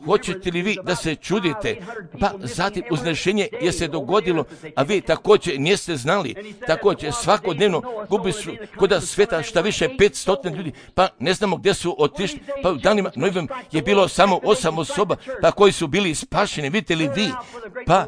hoćete li vi da se čudite? Pa zatim uznešenje je se dogodilo, a vi također niste znali. Također svakodnevno gubi su kod sveta šta više petsto ljudi, pa ne znamo gdje su otišli. Pa u danima Noevim je bilo samo osam osoba, pa koji su bili spašeni. Vidite li vi? Pa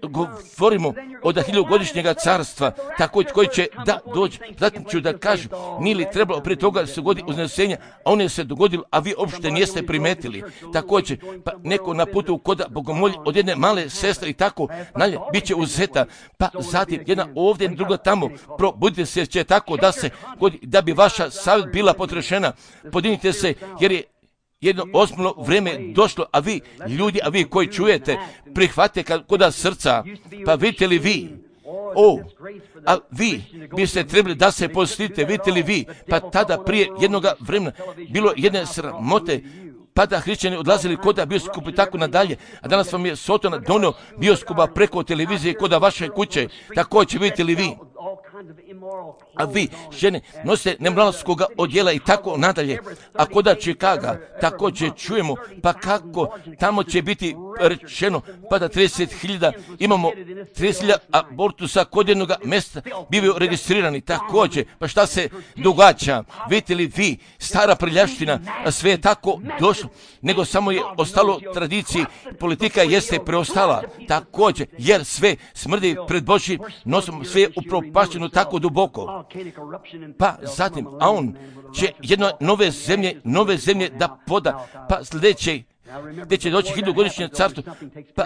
govorimo od hiljugodišnjega carstva, također koji će da dođe. Zatim ću da kažem, nije li trebalo prije toga da se dogodi uznesenja, a on je se dogodilo, a vi uopšte niste primetili. Također, pa neko na putu koda bogomolji od jedne male sestre i tako nalje, bit će uzeta, pa zatim jedna ovdje, druga tamo, probudite se će tako da se, da bi vaša savjet bila potrešena, podignite se jer je jedno osmano vrijeme došlo, a vi ljudi, a vi koji čujete, prihvatite koda srca, pa vidite li vi, O, a vi biste trebali da se postite, vidite li vi, pa tada prije jednoga vremena bilo jedne sramote, pa da hrišćani odlazili kod bioskopa i tako nadalje, a danas vam je Sotona donio bioskopa preko televizije kod vaše kuće, također vidite li vi. A vi, žene, nosite nemoralskog odjela i tako nadalje. A koda Čikaga, također čujemo, pa kako tamo će biti rečeno, pa da trideset hiljada, imamo trideset hiljada abortusa kod jednog mjesta bivaju registrirani, također, pa šta se događa? Vidite li vi, stara prljavština, sve je tako došlo, nego samo je ostalo tradiciji, politika jeste preostala, također, jer sve smrdi pred Božjim nosom, sve je upropašteno tako duboko. Pa zatim, a on će jedno nove zemlje, nove zemlje da poda, pa sljedeće, gdje će doći hiljadugodišnje carstvo, pa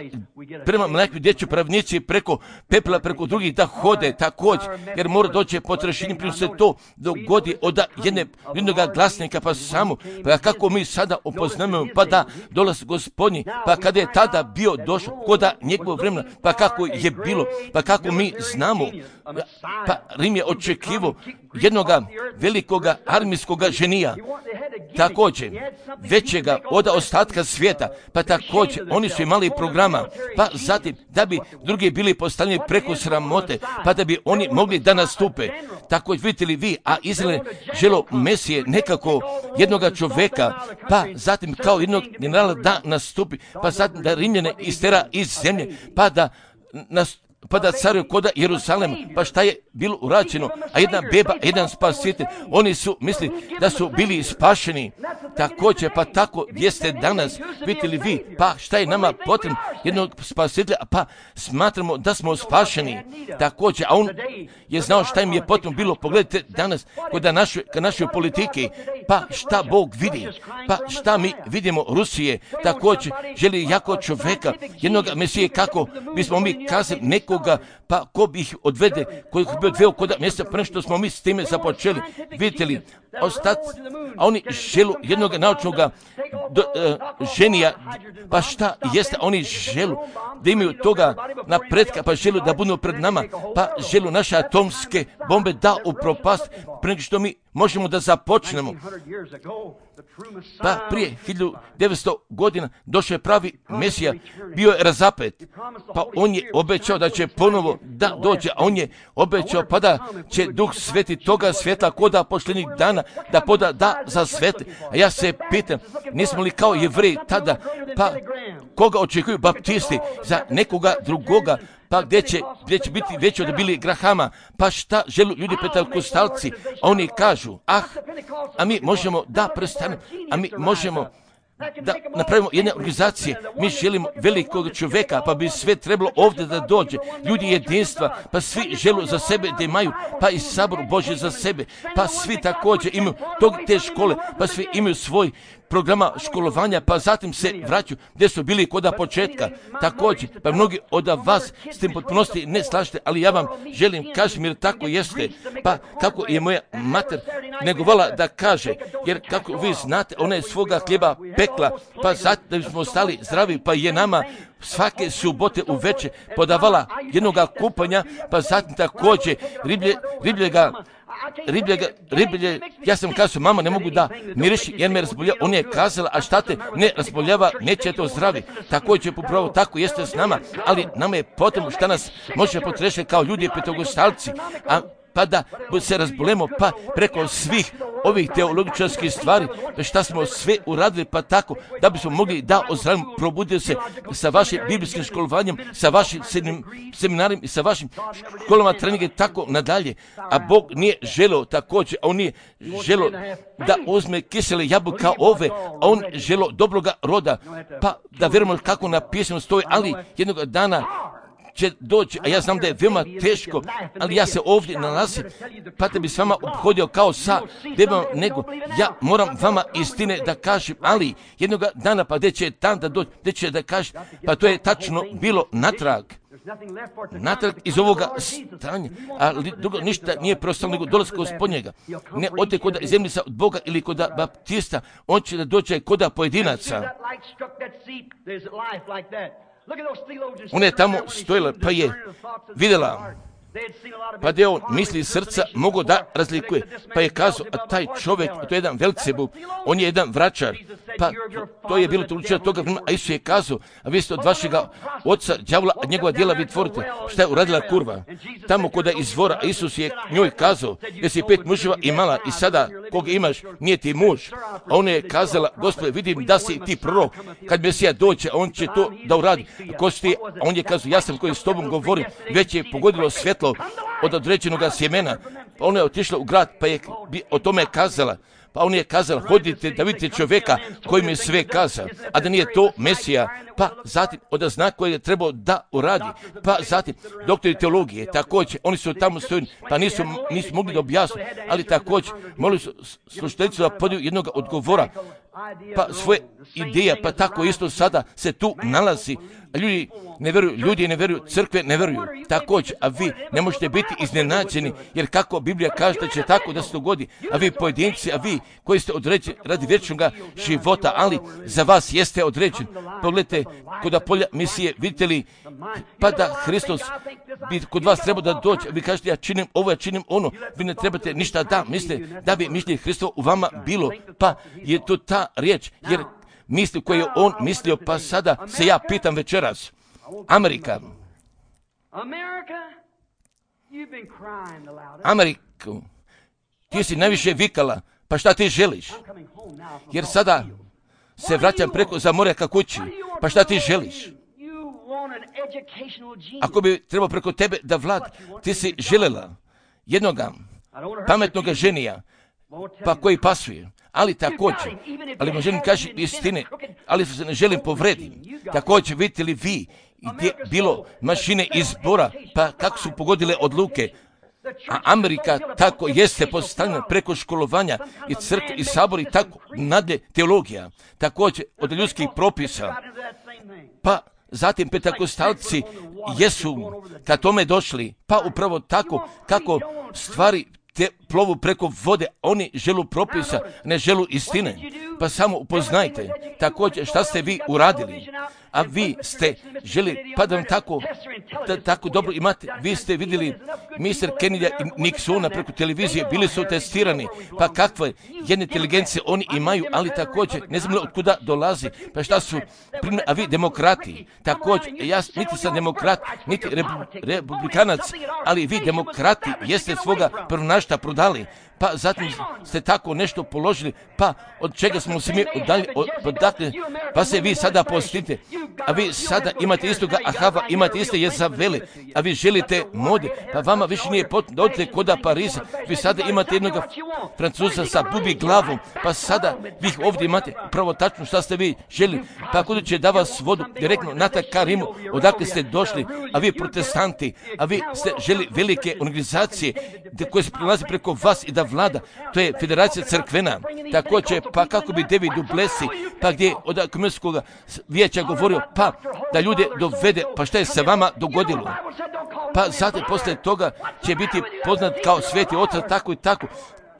prema mlakvi gdje će pravnici preko pepela, preko drugih da hode također, jer mora doći potrešenje, prije se to dogodi od jedne, jednog glasnika, pa samo, pa kako mi sada upoznamo, pa da dolaz Gospodnji, pa kada je tada bio došao, koda njegovog vremena, pa kako je bilo, pa kako mi znamo, pa Rim je očekivao jednoga velikoga armijskoga ženija, također, većega od ostatka svijeta, pa također oni su imali programa, pa zatim da bi drugi bili postavljeni preko sramote, pa da bi oni mogli da nastupe. Također vidite li vi, a Izrael želo Mesije nekako jednoga čoveka, pa zatim kao jednog generala da nastupi, pa zatim da Rimljane istera iz zemlje, pa da nastupi, pa da caruju koda Jeruzalema, pa šta je bilo urađeno, a jedna beba, jedan spasitelj, oni su mislili da su bili spašeni, također, pa tako jeste danas, vidite li vi, pa šta je nama potrebno jednog spasitelja, pa smatramo da smo spašeni, također, a on je znao šta im je potrebno bilo, pogledajte danas, kod naše, naše politike, pa šta Bog vidi, pa šta mi vidimo Rusije, također, želi jako čoveka, jednog Mesije, kako bismo mi kazali nekoga, pa ko bi ih odvede, koji bi odveo kod mjesta, prema što smo mi s time započeli, vidite li, ostaci, a oni želu jednog naučnog do, uh, ženija, pa šta jeste, oni želu da imaju toga napretka, pa želu da budu pred nama, pa želu naše atomske bombe da upropast, prema što mi možemo da započnemo. Pa prije hiljadu devetsto godina došao je pravi Mesija, bio je razapet, pa on je obećao da će ponovo da dođe, a on je obećao pa da će Duh Sveti toga svjetla koda posljednjih dana da poda da za svete. A ja se pitam, nismo li kao Jevreji tada, pa koga očekuju baptisti za nekoga drugoga, pa gdje će, gdje će biti veći od bili Grahama, pa šta želu ljudi pentekostalci, a oni kažu, ah, a mi možemo da prestanemo, a mi možemo da napravimo jedne organizacije, mi želimo velikog čovjeka, pa bi sve trebalo ovdje da dođe, ljudi jedinstva, pa svi želu za sebe da imaju, pa i sabor Božji za sebe, pa svi također imaju tog te škole, pa svi imaju svoj programa školovanja, pa zatim se vraćaju gdje su bili koda početka. Također, pa mnogi od vas s tim potpunosti ne slažete, ali ja vam želim kažem jer tako jeste, pa kako je moja mater negovala da kaže, jer kako vi znate, ona je svoga hljeba pekla, pa zatim da bismo ostali zdravi, pa je nama svake subote uveče podavala jednoga kupanja, pa zatim također riblje, ribljega Ribljega, riblje, ja sam kazao, mama, ne mogu da miriši jer me razboljava. On je kazala, a šta te ne razboljava, neće to zdravi. Također, upravo tako jeste s nama, ali nama je potrebno šta nas može potrešiti kao ljudi petogostalci, a pa da se razbolemo, pa preko svih ovih teologičarskih stvari, šta smo sve uradili, pa tako, da bismo mogli da ozdravimo, probuditi se sa vašim biblijskim školovanjem, sa vašim seminarima i sa vašim školama treninga i tako nadalje. A Bog nije želeo također, a on nije želeo da uzme kisele jabuka ove, a on želeo dobroga roda, pa da vjerujemo kako napisano stoji, ali jednog dana će doći, a ja znam da je veoma teško, ali ja se ovdje nalazim, pa te bi s vama obhodio kao sa debom, nego ja moram vama istine da kažem, ali jednog dana, pa gdje će dan da doći, gdje će da kažem, pa to je tačno bilo natrag. Natrag iz ovoga stanja, ali drugo ništa nije preostalo nego dolazka Gospodnjega. Ne ode kod zemljica od Boga ili kod baptista, on će da dođe kod pojedinaca. Ona je tamo stojila, pa je vidjela Pa da je on misli srca mogo da razlikuje. Pa je kazao, a taj čovjek, to je jedan Velcebul, on je jedan vračar. Pa to je bilo tuličeno toga vremena, a Isus je kazao, a vi ste od vašega oca đavola, a njegova djela vi tvorite. Šta je uradila kurva? Tamo koda izvora, a Isus je njoj kazao, jer si pet muževa imala i sada koga imaš nije ti muž. A ona je kazala, Gospode, vidim da si ti prorok, kad Mesija dođe, a on će to da uradi. Ko si ti? A on je kazao, ja sam koji s tobom govorim, već je pogodilo svjetlo od određenog sjemena. Pa ona je otišla u grad, pa je o tome kazala. Pa on je kazala, hodite da vidite čovjeka koji mi je sve kazao, a da nije to Mesija. Pa zatim od znak koji je trebao da uradi. Pa zatim doktori teologije, također, oni su tamo stojili, pa nisu, nisu mogli da objasnu, ali također molili su slušateljicu da podiju jednog odgovora, pa svoje ideje, pa tako isto sada se tu nalazi. Ljudi ne vjeruju, ljudi ne vjeruju, crkve ne vjeruju. Također, a vi ne možete biti iznenađeni, jer kako Biblija kaže da će tako da se dogodi, a vi pojedinci, a vi koji ste određeni radi vječnog života, ali za vas jeste određen. Pogledajte, kod polja misije, vidite li, pa da Hristos bi kod vas trebao da dođe, vi kažete ja činim ovo, ja činim ono, vi ne trebate ništa da mislite, da bi mišljenje Hristovo u vama bilo, pa je to ta riječ, jer misli koje je on mislio, pa sada se ja pitam večeras, Amerika, Ameriku, ti si najviše vikala, pa šta ti želiš? Jer sada se vraćam preko za more ka kući, pa šta ti želiš? Ako bi trebao preko tebe da vlad, ti si želela jednoga pametnoga ženija, pa koji pasuje, ali također, ali mu želim kaži istine, ali se ne želim povredim. Također, vidite li vi, gdje bilo mašine izbora, pa kako su pogodile odluke, a Amerika tako jeste postavljena preko školovanja i crkve i sabor i tako nadalje teologija, također od ljudskih propisa, pa zatim petakostalci jesu ka tome došli, pa upravo tako kako stvari te plovu preko vode, oni želu propisa, ne želu istine. Pa samo upoznajte također šta ste vi uradili, a vi ste želi, pa da vam tako, da, tako dobro imate, vi ste vidjeli mister Kennedy i Nixona preko televizije, bili su testirani, pa kakve jedne inteligencije oni imaju, ali također ne znam od kuda dolazi, pa šta su, primjer, a vi demokrati, također, ja niti sam demokrat, niti republikanac, ali vi demokrati jeste svoga prvonašta prodali, pa zatim ste tako nešto položili, pa od čega smo se mi udalji, odakle, pa se vi sada postite, a vi sada imate istoga Ahava, imate iste Jezavele, a vi želite mode, pa vama više nije potrebno da odete koda Pariza, vi sada imate jednog Francuza sa bubi glavom, pa sada vi ih ovdje imate pravo tačno šta ste vi želi, pa kuda će da vas vodu direktno na Karimu, odakle ste došli, a vi protestanti, a vi ste želi velike organizacije koje se prelazi preko vas i da vlada, to je Federacija crkvena, također, pa kako bi David Duplessis, pa gdje od komunistskog vijeća govorio, pa da ljude dovede, pa šta je se vama dogodilo? Pa zatim poslije toga će biti poznat kao sveti otac, tako i tako.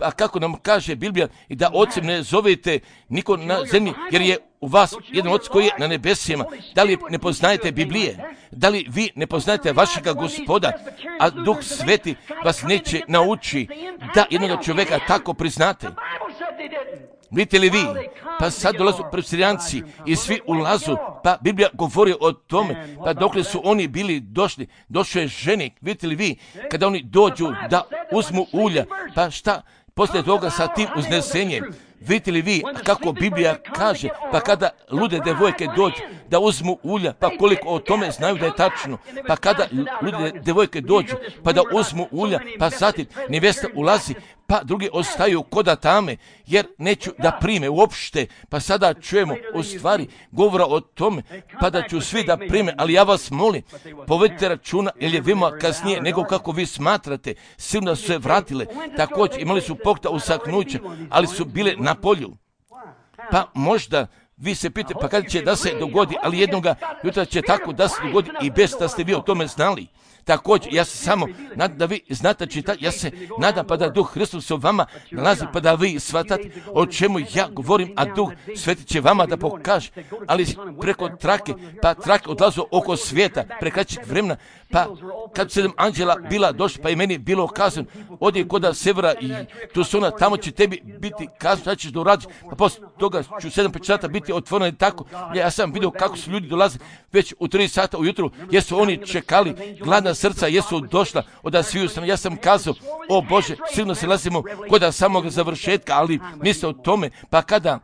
A kako nam kaže Biblija, i da ocem ne zovete niko na zemlji, jer je u vas jedan otac koji je na nebesima. Da li ne poznajete Biblije? Da li vi ne poznajete vašega Gospoda, a Duh Sveti vas neće nauči da jednog čovjeka tako priznate? Vidite li vi? Pa sad dolazu presirijanci i svi ulazu, pa Biblija govori o tome, pa dokle su oni bili došli, došao je ženik, vidite li vi, kada oni dođu da uzmu ulja, pa šta poslije toga sa tim uznesenjem, vidite li vi kako Biblija kaže, pa kada lude devojke dođu da uzmu ulja, pa koliko o tome znaju da je tačno, pa kada lude devojke dođu pa da uzmu ulja, pa zatim nevjesta ulazi, pa drugi ostaju koda tame, jer neću da prime uopšte, pa sada čujemo u stvari govora o tome, pa da ću svi da prime, ali ja vas molim, povedite računa, jer je vima kasnije nego kako vi smatrate, silno su se vratile, također imali su pokta usaknuća, ali su bile na polju. Pa možda vi se pitate, pa kada će da se dogodi, ali jednoga jutra će tako da se dogodi i bez da ste vi o tome znali. Također, ja se samo nadam da vi znate čitati, ja se nadam pa da Duh Hristos u vama nalazi, pa da vi shvatate o čemu ja govorim, a Duh Sveti će vama da pokaže, ali preko trake, pa trake odlazu oko svijeta, prekraćih vremena, pa kad sedam anđela bila došla, pa i meni bilo kazano, odi kod severa i tu su ona, tamo će tebi biti kazano, šta ćeš da uradiš, pa poslije toga ću sedam pečata biti otvoreno i tako. Ja sam vidio kako su ljudi dolaze već u tri sata ujutru, jesu oni čekali, gladna srca jesu došla od sviju strana. Ja sam kazao, o Bože, sigurno se nalazimo kod samog završetka, ali misle o tome, pa kada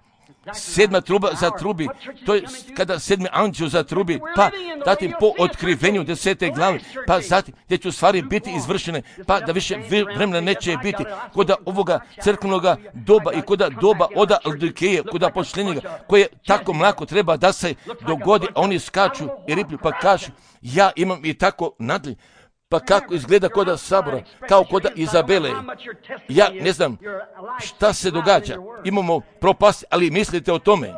sedma truba zatrubi, to je kada sedmi anđeo zatrubi, pa zatim po otkrivenju desete glave, pa zatim gdje će u stvari biti izvršene, pa da više vremena neće biti kod ovoga crkvenog doba i kod doba oda Laodikeje, kod pošljenjega, koje tako mlako treba da se dogodi, a oni skaču i riplju, pa kažu, ja imam i tako nadli. Pa kako izgleda koda Sabora, kao koda Izabele. Ja ne znam šta se događa. Imamo propast, ali mislite o tome.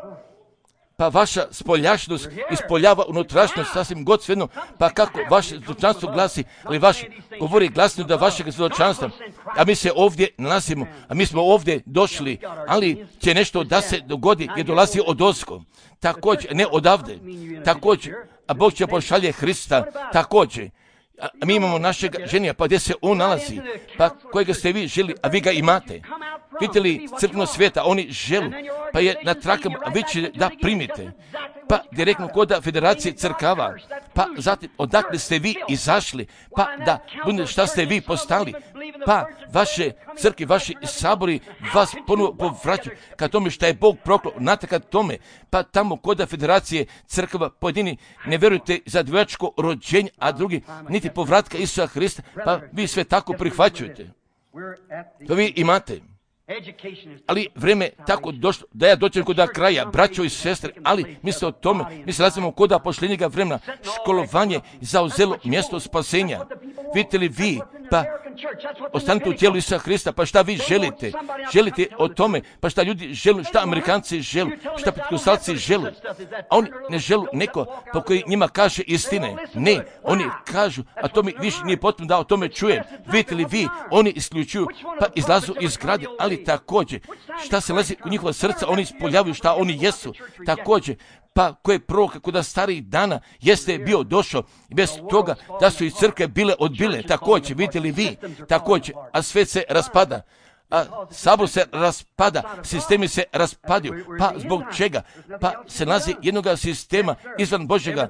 Pa vaša spoljašnost ispoljava unutrašnjost sasvim god svejedno, pa kako vaše svjedočanstvo glasi, ali vaš govori glasno da vašeg svjedočanstva, a mi se ovdje nalazimo, a mi smo ovdje došli, ali će nešto da se dogodi jer dolazi od ozgo, također, ne odavde, također, a Bog će pošalje Hrista, također. A mi imamo našeg ženija, pa gdje se on nalazi, pa kojega ste vi želi, a vi ga imate. Vidite li crkveno svijeta, oni želu, pa je na trakama, a vi će da primite. Pa direktno kod Federacije crkava, pa zatim odakle ste vi izašli, pa da bude šta ste vi postali, pa vaše crkve, vaši sabori vas ponovo povraćaju ka tome šta je Bog proklao, znate ka tome, pa tamo kod Federacije crkava pojedini ne vjerujete za dvojačko rođenje, a drugi niti povratka Isusa Hrista, pa vi sve tako prihvaćujete. To vi imate. Ali vrijeme tako došlo da ja dođem kod kraja, braćo i sestre, ali misle o tome, mi se nalazimo kod pošljenjega vremena, školovanje zauzelo mjesto spasenja. Vidite li vi, pa ostanite u tijelu Isusa Hrista, pa šta vi želite? Želite o tome, pa šta ljudi žele, šta Amerikanci žele, šta Pentekosalci žele. A oni ne žele neko po koji njima kaže istine. Ne, oni kažu, a to mi više nije potrebno da o tome čujem. Vidite li vi, oni isključuju, pa izlazu iz grade, ali također, šta se lazi u njihova srca, oni ispoljavaju šta oni jesu. Također, pa koje proroka kod starih dana jeste bio došao bez toga da su iz crkve bile odbile. Također, vidite li vi, također, a svet se raspada. A sabor se raspada, sistemi se raspadaju. Pa zbog čega? Pa se nalazi jednoga sistema izvan Božjega,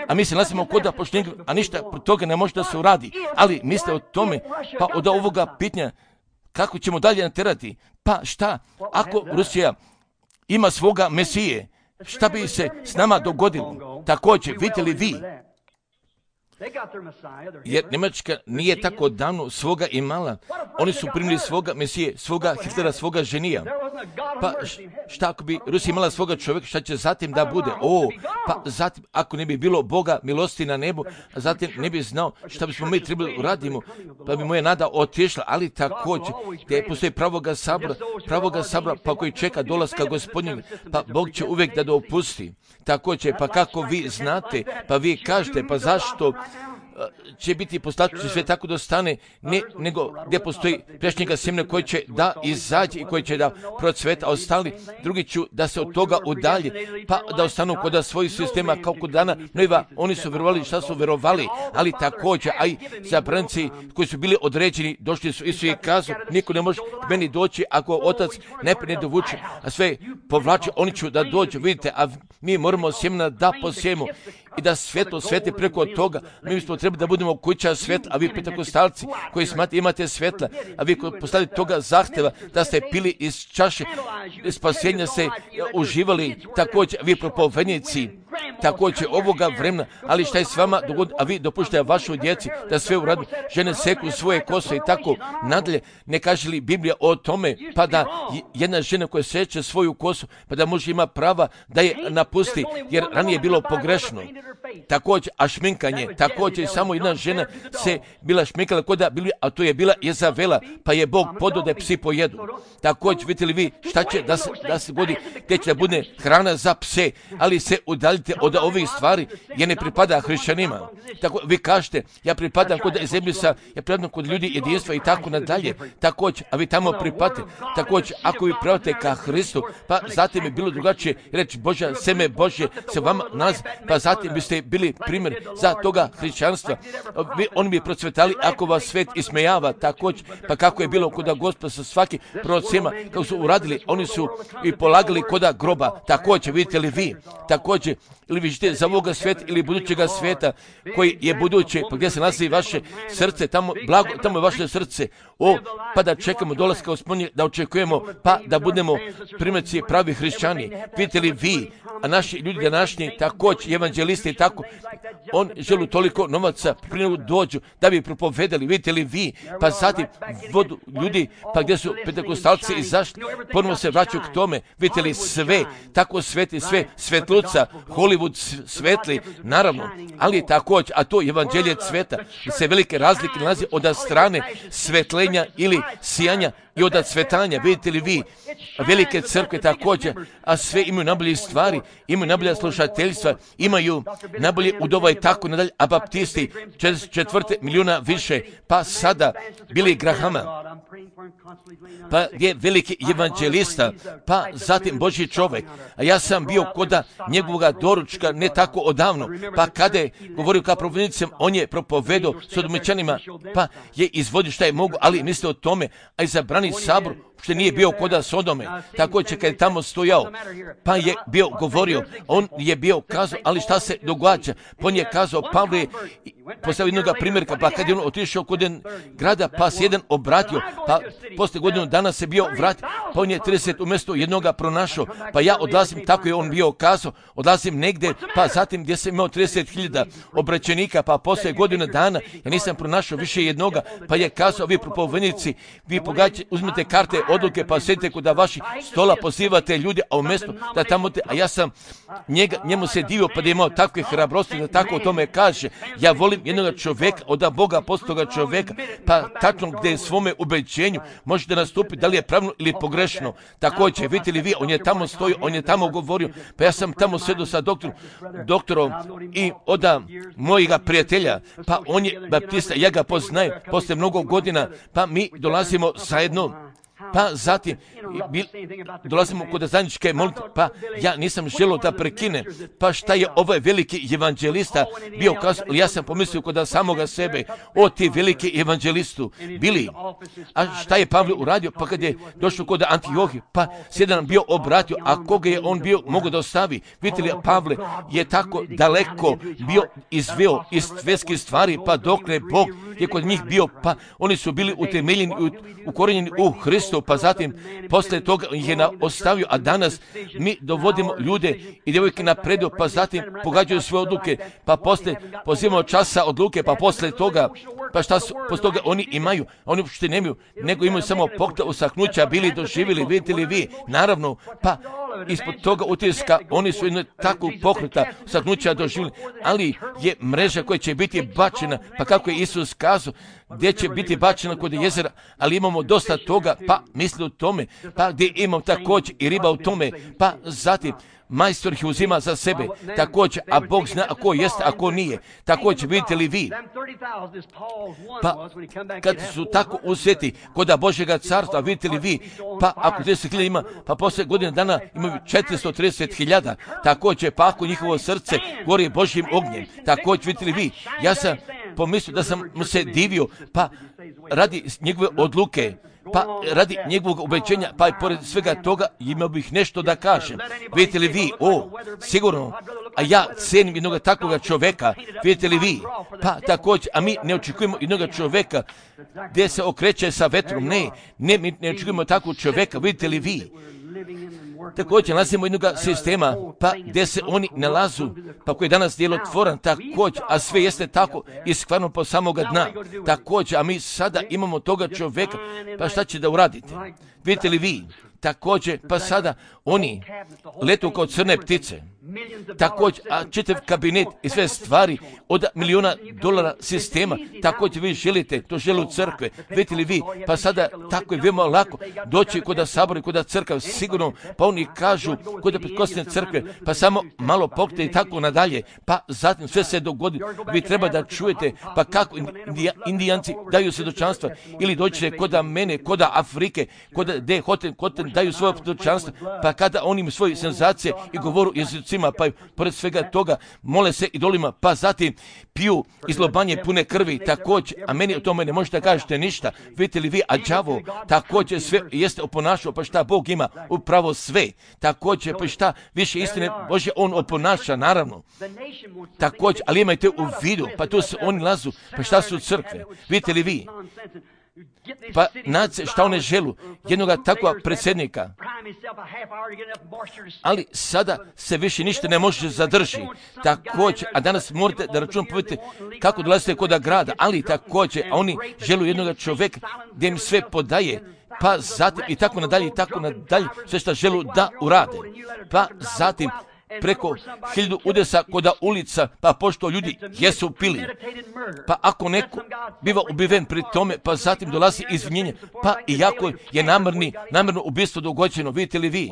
a mi se nalazimo kod pošljenja, a ništa od toga ne može da se uradi. Ali misle o tome, pa od ovoga pitanja, kako ćemo dalje naterati? Pa šta, ako Rusija ima svoga Mesije, šta bi se s nama dogodilo? Također, vidite li vi? Jer Njemačka nije tako davno svoga imala. Oni su primili svoga Mesije, svoga Hitlera, svoga ženija. Pa šta ako bi Rusija imala svoga čovjeka, šta će zatim da bude? O, pa zatim ako ne bi bilo Boga milosti na nebu, a zatim ne bi znao šta bismo mi trebali uradimo, pa bi moja nada otišla, ali također, gdje postoji pravoga sabora, pravoga sabora, pa koji čeka dolaska Gospodnjega, pa Bog će uvijek da dopusti. Također, pa kako vi znate, pa vi kažete, pa zašto će biti poslačući sve tako da stane, ne, nego gdje postoji prešnjega sjemena koji će da izađe i koji će da procveta, a ostali drugi ću da se od toga udalje, pa da ostanu kod svojih sistema kao kod dana Nojeva. Oni su verovali šta su verovali, ali također, a i zabranci koji su bili određeni, došli su i su i kazu, niko ne može k meni doći ako otac ne dovuče, a sve povlače, oni ću da dođu, vidite, a mi moramo sjemena da posijemo i da svjetlo sveti preko toga. Mi smo trebali da budemo kuća svjetla, a vi pentekostalci koji smate imate svjetla, a vi koji postali toga zahtjeva da ste pili iz čaše spasenja, se uživali, također vi propovjednici, također ovoga vremena, ali šta je s vama dogodi, a vi dopuštate vašoj djeci da sve uradi, žene seku svoje kose i tako nadalje. Ne kaže li Biblija o tome, pa da jedna žena koja seče svoju kosu, pa da može ima prava da je napusti, jer ranije je bilo pogrešno. Također, a šminkanje, također samo jedna žena se bila šminkala kod da bili, a to je bila Jezavela, pa je Bog podao da je psi pojedu. Također, vidite li vi šta će da se, da se godi, gdje će da bude hrana za pse, ali se udaljite od od ovih stvari je ne pripada hrišćanima. Tako, vi kažete, ja pripadam kod Ezebisa, ja pripadam kod ljudi jedinstva i tako nadalje. Također, a vi tamo pripadate. Također, ako vi pripadate ka Hristu, pa zatim je bilo drugačije reći Božja, seme Božje se vama nalazi, pa zatim biste bili primjer za toga hrišćanstva. Vi, oni bi procvetali ako vas svet ismejava, također, pa kako je bilo kod Gospoda sa svaki prorocima, kako su uradili, oni su i polagali koda groba. Također, vidite li vi, također, ili vi žite za ovoga sveta ili budućega sveta koji je buduće, pa gdje se nalazi vaše srce, tamo, blago, tamo je vaše srce. O, pa da čekamo dolaska Gospodnje, da očekujemo, pa da budemo primjerci pravi hrišćani. Vidite li vi, a naši ljudi današnji, također, evanđelisti, tako, on želi toliko novaca, prije dođu, da bi propovedali, vidite li vi, pa zatim vodu ljudi, pa gdje su pentekostalci izašli, ponovno se vraćaju k tome, vidite li sve, tako sveti, sve, svetluca, Hollywood svetli, naravno, ali također, a to evanđelje cveta, se velike razlike nalazi od strane svetlenja ili sijanja i od cvetanja, vidite li vi, velike crkve također, a sve imaju najbolje stvari, imaju najbolja slušateljstva, imaju najbolje udova i tako nadalje, a baptisti četvrte milijuna više, pa sada Billy Grahama, pa je veliki evanđelista, pa zatim Božji čovjek, a ja sam bio koda njegovoga doručka ne tako odavno, pa kada je govorio kao propovednicem, on je propovedao sodomičanima, pa je izvodio šta je mogu, ali misle o tome, a i zabrani sabor, što nije bio koda Sodome, također kad je tamo stojao, pa je bio govorio, on je bio kazao, ali šta se događa, pa on je kazao, Pavle je postavio jednog primjerka, pa kad je on otišao kod grada, pa se jedan obratio, pa posle godinu dana se bio vratio, pa on je trideset umjesto jednoga pronašao, pa ja odlazim, tako je on bio kazao, odlazim negdje, pa zatim gdje sam imao trideset hiljada obraćenika, pa posle godinu dana ja nisam pronašao više jednoga, pa je kazao, vi propovednici, vi pogađate, uzmete karte odluke, pa sjedite kod vaših stola, pozivate ljude, a umjesto da tamo te, a ja sam njega, njemu se divio, pa da je imao takve hrabrosti, da tako o tome kaže, ja volim jednog čovjeka, od Boga postoga čovjeka, pa tačno gdje je svome ubeđenju može da nastupi, da li je pravno ili pogrešno. Također, vidite li vi, on je tamo stojio, on je tamo govorio, pa ja sam tamo sjedio sa doktorom, doktorom i od mojega prijatelja, pa on je baptista, ja ga poznajem, posle mnogo godina, pa mi dolazimo zajedno, pa zatim bil, dolazimo kod zajedničke molitve, pa ja nisam želio da prekine, pa šta je ovaj veliki evanđelista bio kazao, ja sam pomislio kod samoga sebe, o ti veliki evanđelistu, bili, a šta je Pavle uradio, pa kad je došao kod Antiohi, pa se jedan bio obratio, a koga je on bio mogo da ostavi, vidite li, Pavle je tako daleko bio izveo iz svetskih stvari, pa dokle Bog je kod njih bio, pa oni su bili utemeljeni, ukorenjeni u Hristu, pa zatim posle toga ih je na, ostavio, a danas mi dovodimo ljude i djevojke napredu, pa zatim pogađaju svoje odluke, pa posle pozivamo časa odluke, pa posle toga, pa šta su, posle toga oni imaju, oni uopšte nemaju, nego imaju samo pokta usahnuća, bili doživjeli, vidite li vi, naravno, pa ispod toga utiska, oni su jedno takvog pokreta usahnuća doživjeli, ali je mreža koja će biti bačena, pa kako je Isus kazao, gdje će biti bačena kod jezera, ali imamo dosta toga, pa misli u tome, pa gdje imamo također i riba u tome, pa zatim majstor ih uzima za sebe, također, a Bog zna ako jeste, ako nije, također, vidite li vi, pa kad su tako uzeti koda Božjega carstva, vidite li vi, pa ako trideset hiljada ima, pa posle godine dana imaju četiristo trideset hiljada, također, pa ako njihovo srce gori Božjim ognjem, također, vidite li vi, ja sam pomislio da sam mu se divio, pa radi njegove odluke, pa radi njegovog ubeđenja, pa i pored svega toga imao bih nešto da kažem. Vidite li vi, o, sigurno, a ja cenim jednog takvog čoveka, vidite li vi, pa također, a mi ne očekujemo jednog čoveka gdje se okreće sa vetrom, ne, ne, mi ne očekujemo takvog čoveka, vidite li vi. Također nalazimo jednog sistema, pa gdje se oni nalazu, pa koji je danas djelotvoran, također, a sve jeste tako iskvarno po samoga dna, također, a mi sada imamo toga čoveka, pa šta će da uradite? Vidite li vi, također, pa sada oni letu kao crne ptice. Također, a čitav kabinet i sve stvari od milijuna dolara sistema, također vi želite, to žele u crkve, vidite li vi, pa sada tako je veoma lako doći kod sabora i kod crkva, sigurno, pa oni kažu kod pretkosne crkve, pa samo malo pokte i tako nadalje, pa zatim sve se dogodi, vi treba da čujete, pa kako indija, indijanci daju svjedočanstva, ili dođete kod mene, kod Afrike, kod de hoten, hoten daju svoje svjedočanstva, pa kada oni imaju svoje senzacije i govoru jezicima, pa pored svega toga mole se idolima, pa zatim piju izlobanje pune krvi, također, a meni o tome ne možete kažete ništa, vidite li vi, a đavo također sve jeste oponašao, pa šta Bog ima upravo sve, također, pa šta više istine Bože on oponaša, naravno, također, ali imajte u vidu, pa tu se oni lazu, pa šta su crkve, vidite li vi, pa nace šta one želu, jednoga takva predsjednika, ali sada se više ništa ne može zadrži, također, a danas morate da računam povedite kako dolazite kod grada, ali također, a oni želu jednoga čovjeka gdje im sve podaje, pa zatim i tako nadalje i tako nadalje, sve što želu da urade, pa zatim preko hiljadu udesa koda ulica, pa pošto ljudi jesu pili, pa ako neko biva ubiven pri tome, pa zatim dolazi izvinjenje, pa iako je namjerni, namjerno ubistvo dogođeno, vidite li vi,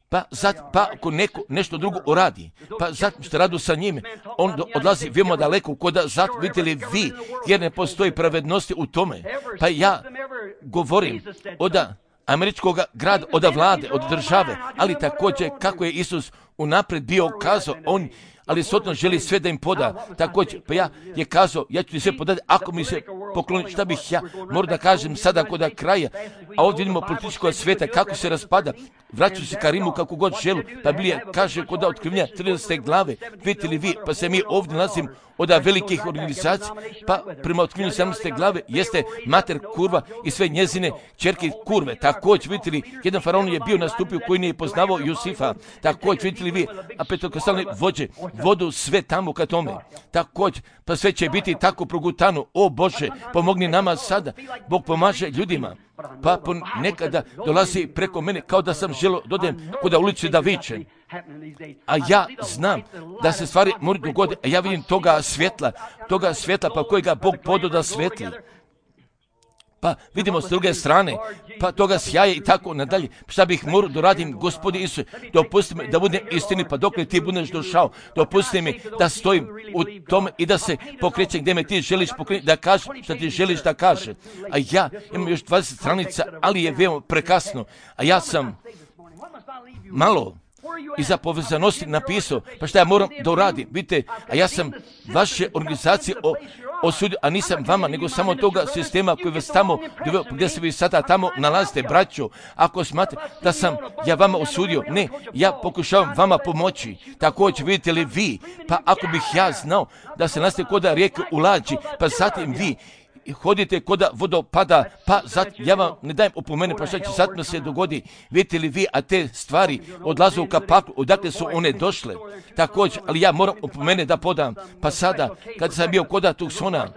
pa zatim, pa ako neko nešto drugo uradi, pa zatim što radu sa njime, on do, odlazi veoma daleko, koda zatim, vidite li vi, jer ne postoji pravednosti u tome, pa ja govorim od američkog grada, od vlade, od države, ali također kako je Isus unaprijed bio kazao, on, ali sotno želi sve da im poda, također, pa ja je kazao, ja ću ti sve podati, ako mi se pokloni, šta bih ja, moram da kažem sada kod kraja, a ovdje vidimo političkog svijeta, kako se raspada, vraćaju se ka Rimu kako god želu, pa Biblija kaže kod otkrivenja trinaeste glave, vidite li vi, pa se mi ovdje nalazimo od velikih organizacija, pa prema otkrivenju sedamnaeste glave jeste mater kurva i sve njezine ćerke kurve. Također, vidite li, jedan faraon je bio nastupio koji nije poznavao Jusifa. Također, vidite li vi, a petokostalne vođe, vodu sve tamo ka tome. Također, pa sve će biti tako progutano. O Bože, pomogni nama sada. Bog pomaže ljudima. Pa nekada dolazi preko mene kao da sam želio dodem kuda ulici da vičem. A ja znam da se stvari moraju dogoditi, a ja vidim toga svjetla, toga svjetla pa kojega Bog podo da svetli. Pa vidimo s druge strane, pa toga sjaje i tako nadalje. Šta bih morao da radim, Gospodi Isuse, dopusti mi da budem istini, pa dok li ti budeš došao, dopusti mi da stojim u tome i da se pokrećem gdje me ti želiš pokrenuti, da kažeš šta ti želiš da kaže. A ja imam još dvadeset stranica, ali je veoma prekasno, a ja sam malo iza povezanosti napisao, pa šta ja moram da uradim, vidite, a ja sam vaše organizacije o, osudio, a nisam vama, nego samo toga sistema koji vas tamo, gdje se vi sada tamo nalazite, braćo, ako smatrate da sam ja vama osudio, ne, ja pokušavam vama pomoći, također vidite li vi, pa ako bih ja znao da se nalazite kod rijeke u lađi, pa zatim vi hodite kod vodopada, pa zat, ja vam ne dajem opomene, pa šta će sad se dogodi, vidite li vi, a te stvari odlaze u kapaku, odakle su one došle, također, ali ja moram opomene da podam, pa sada, kad sam bio kod Tucsona,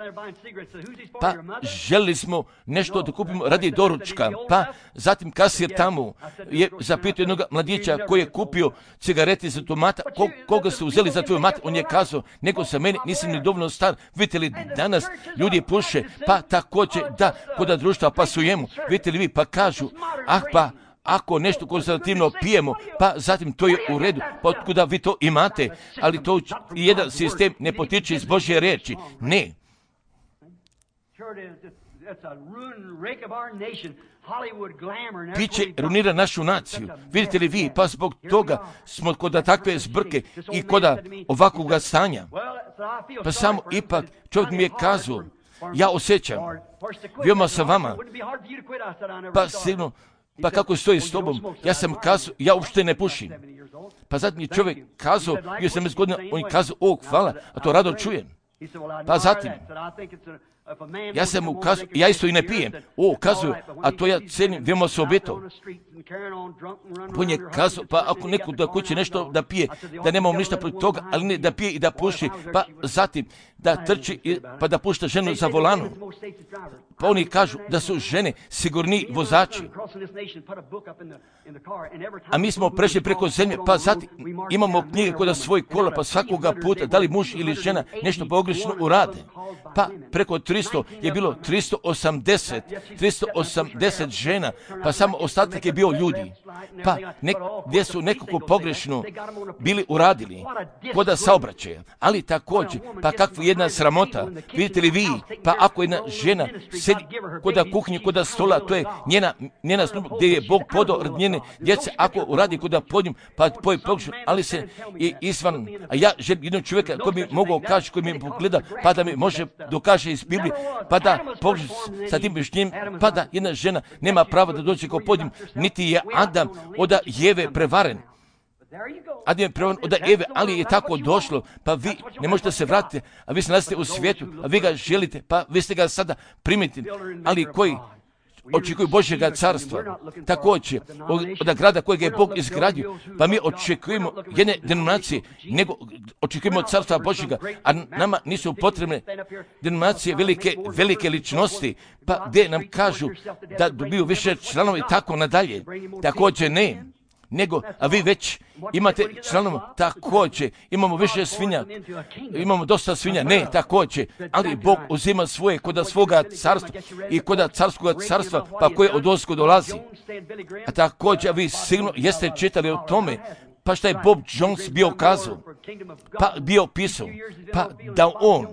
pa želili smo nešto da kupimo radi doručka, pa zatim kasir tamo je zapitao jednog mladića koji je kupio cigarete za tomata, ko, koga su uzeli za tvoj mat, on je kazao, neko sa meni, nisam ni dovoljno star, vidite li, danas ljudi puše, pa također da kod društva pasujemo, vidite li vi, pa kažu, ah pa, ako nešto konzervativno pijemo, pa zatim to je u redu, pa otkuda vi to imate, ali to jedan sistem ne potiče iz Božje riječi, ne. Piće runira našu naciju, vidite li vi, pa zbog toga smo kod takve zbrke i kod ovakvog stanja, pa samo ipak čovjek mi je kazao, ja osjećam, veoma sa vama, pa sigurno, pa kako stoji s tobom, ja sam kazao, ja uopšte ne pušim. Pa zatim je čovjek kazao, bio sam godina, on je kazao, o hvala, a to rado čujem. Pa zatim, Ja sam mu kazao, ja isto i ne pijem. O, kazuju, a to ja cenim, veoma se obetao. On je kazao, pa ako neko da kuće nešto da pije, da nemamo ništa protiv toga, ali ne da pije i da puši, pa zatim da trči, i, pa da pušta ženu za volanom. Pa oni kažu da su žene sigurni vozači. A mi smo prešli preko zemlje, pa zatim imamo knjige kod svoj kola, pa svakoga puta, da li muž ili žena nešto pogrešno urade. Pa preko tristo je bilo tristo osamdeset, tristo osamdeset žena, pa samo ostatak je bio ljudi. Pa nek, gdje su nekako pogrešno bili uradili, koda saobraćaja. Ali također, pa kakva jedna sramota, vidite li vi, pa ako jedna žena sedi koda kuhnje, koda stola, to je njena, njena služba gdje je Bog podao rad njene djece, ako uradi koda podnjem, pa poje pogrešno, ali se i izvan, a ja želim jednog čovjeka koji mi mogao kaži, koji mi pogleda, pa da mi može dokaže iz Biblije, pa da pogrešno sa tim mišljenjem, pa da jedna žena nema prava da dođe kao podnjem, niti je Adam od Jeve prevaren. Adam je prevaren od Eve, ali je tako došlo, pa vi ne možete se vratiti, a vi se nalazite u svijetu, a vi ga želite, pa vi ste ga sada primiti, ali koji očekuju Božjega carstva, također od grada kojeg je Bog izgradio, pa mi očekujemo jedne denominacije, nego očekujemo carstva Božjega, a nama nisu potrebne denominacije velike, velike ličnosti, pa gdje nam kažu da dobiju više članovi tako nadalje, također ne. Nego, a vi već imate članova, također, imamo više svinja, imamo dosta svinja, ne, također, ali Bog uzima svoje koda svoga carstva i koda carskog carstva, pa koje od ozgo dolazi. A također, vi sigurno jeste čitali o tome, pa šta je Bob Jones bio kazao, pa bio pisao, pa da on,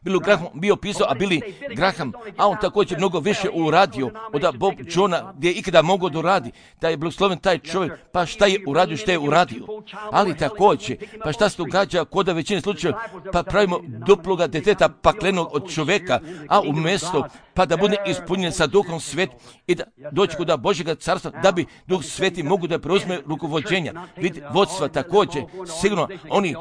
Billy Graham bio pisao, a Billy Graham, a on također mnogo više uradio od Bob Johna gdje je ikada mogao da uradi, da je blagosloven taj čovjek, pa šta je uradio, šta je uradio. Ali također, pa šta se događa kod većine slučajeva, pa pravimo duploga deteta paklenog od čovjeka, a umjesto pa da bude ispunjen sa Duhom Svet i da doći kod Božjega carstva, da bi Duh Sveti mogu da preuzme rukovođenja. Vidite, vodstva također, sigurno oni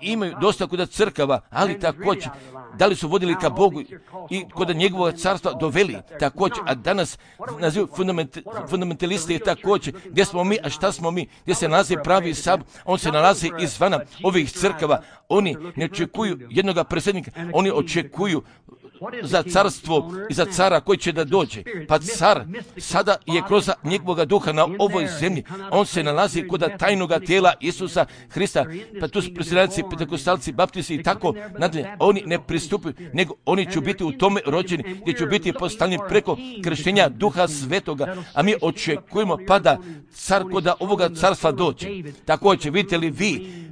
imaju dosta kod crkava, ali također, da li su vodili ka Bogu i kod njegovog carstva doveli također, a danas nazivu fundament, fundamentalisti također, gdje smo mi, a šta smo mi, gdje se nalazi pravi sab, on se nalazi izvana ovih crkava, oni ne očekuju jednoga predsjednika, oni očekuju za carstvo i za cara koji će da dođe. Pa car sada je kroz njegovog duha na ovoj zemlji. On se nalazi kod tajnoga tijela Isusa Hrista. Pa tu su predsjednici, pentekostalci, baptisti i tako nadalje. Oni ne pristupuju, nego oni će biti u tome rođeni, gdje će biti postavljeni preko krštenja Duha Svetoga. A mi očekujemo pa da car kod ovoga carstva dođe. Također, vidite li vi,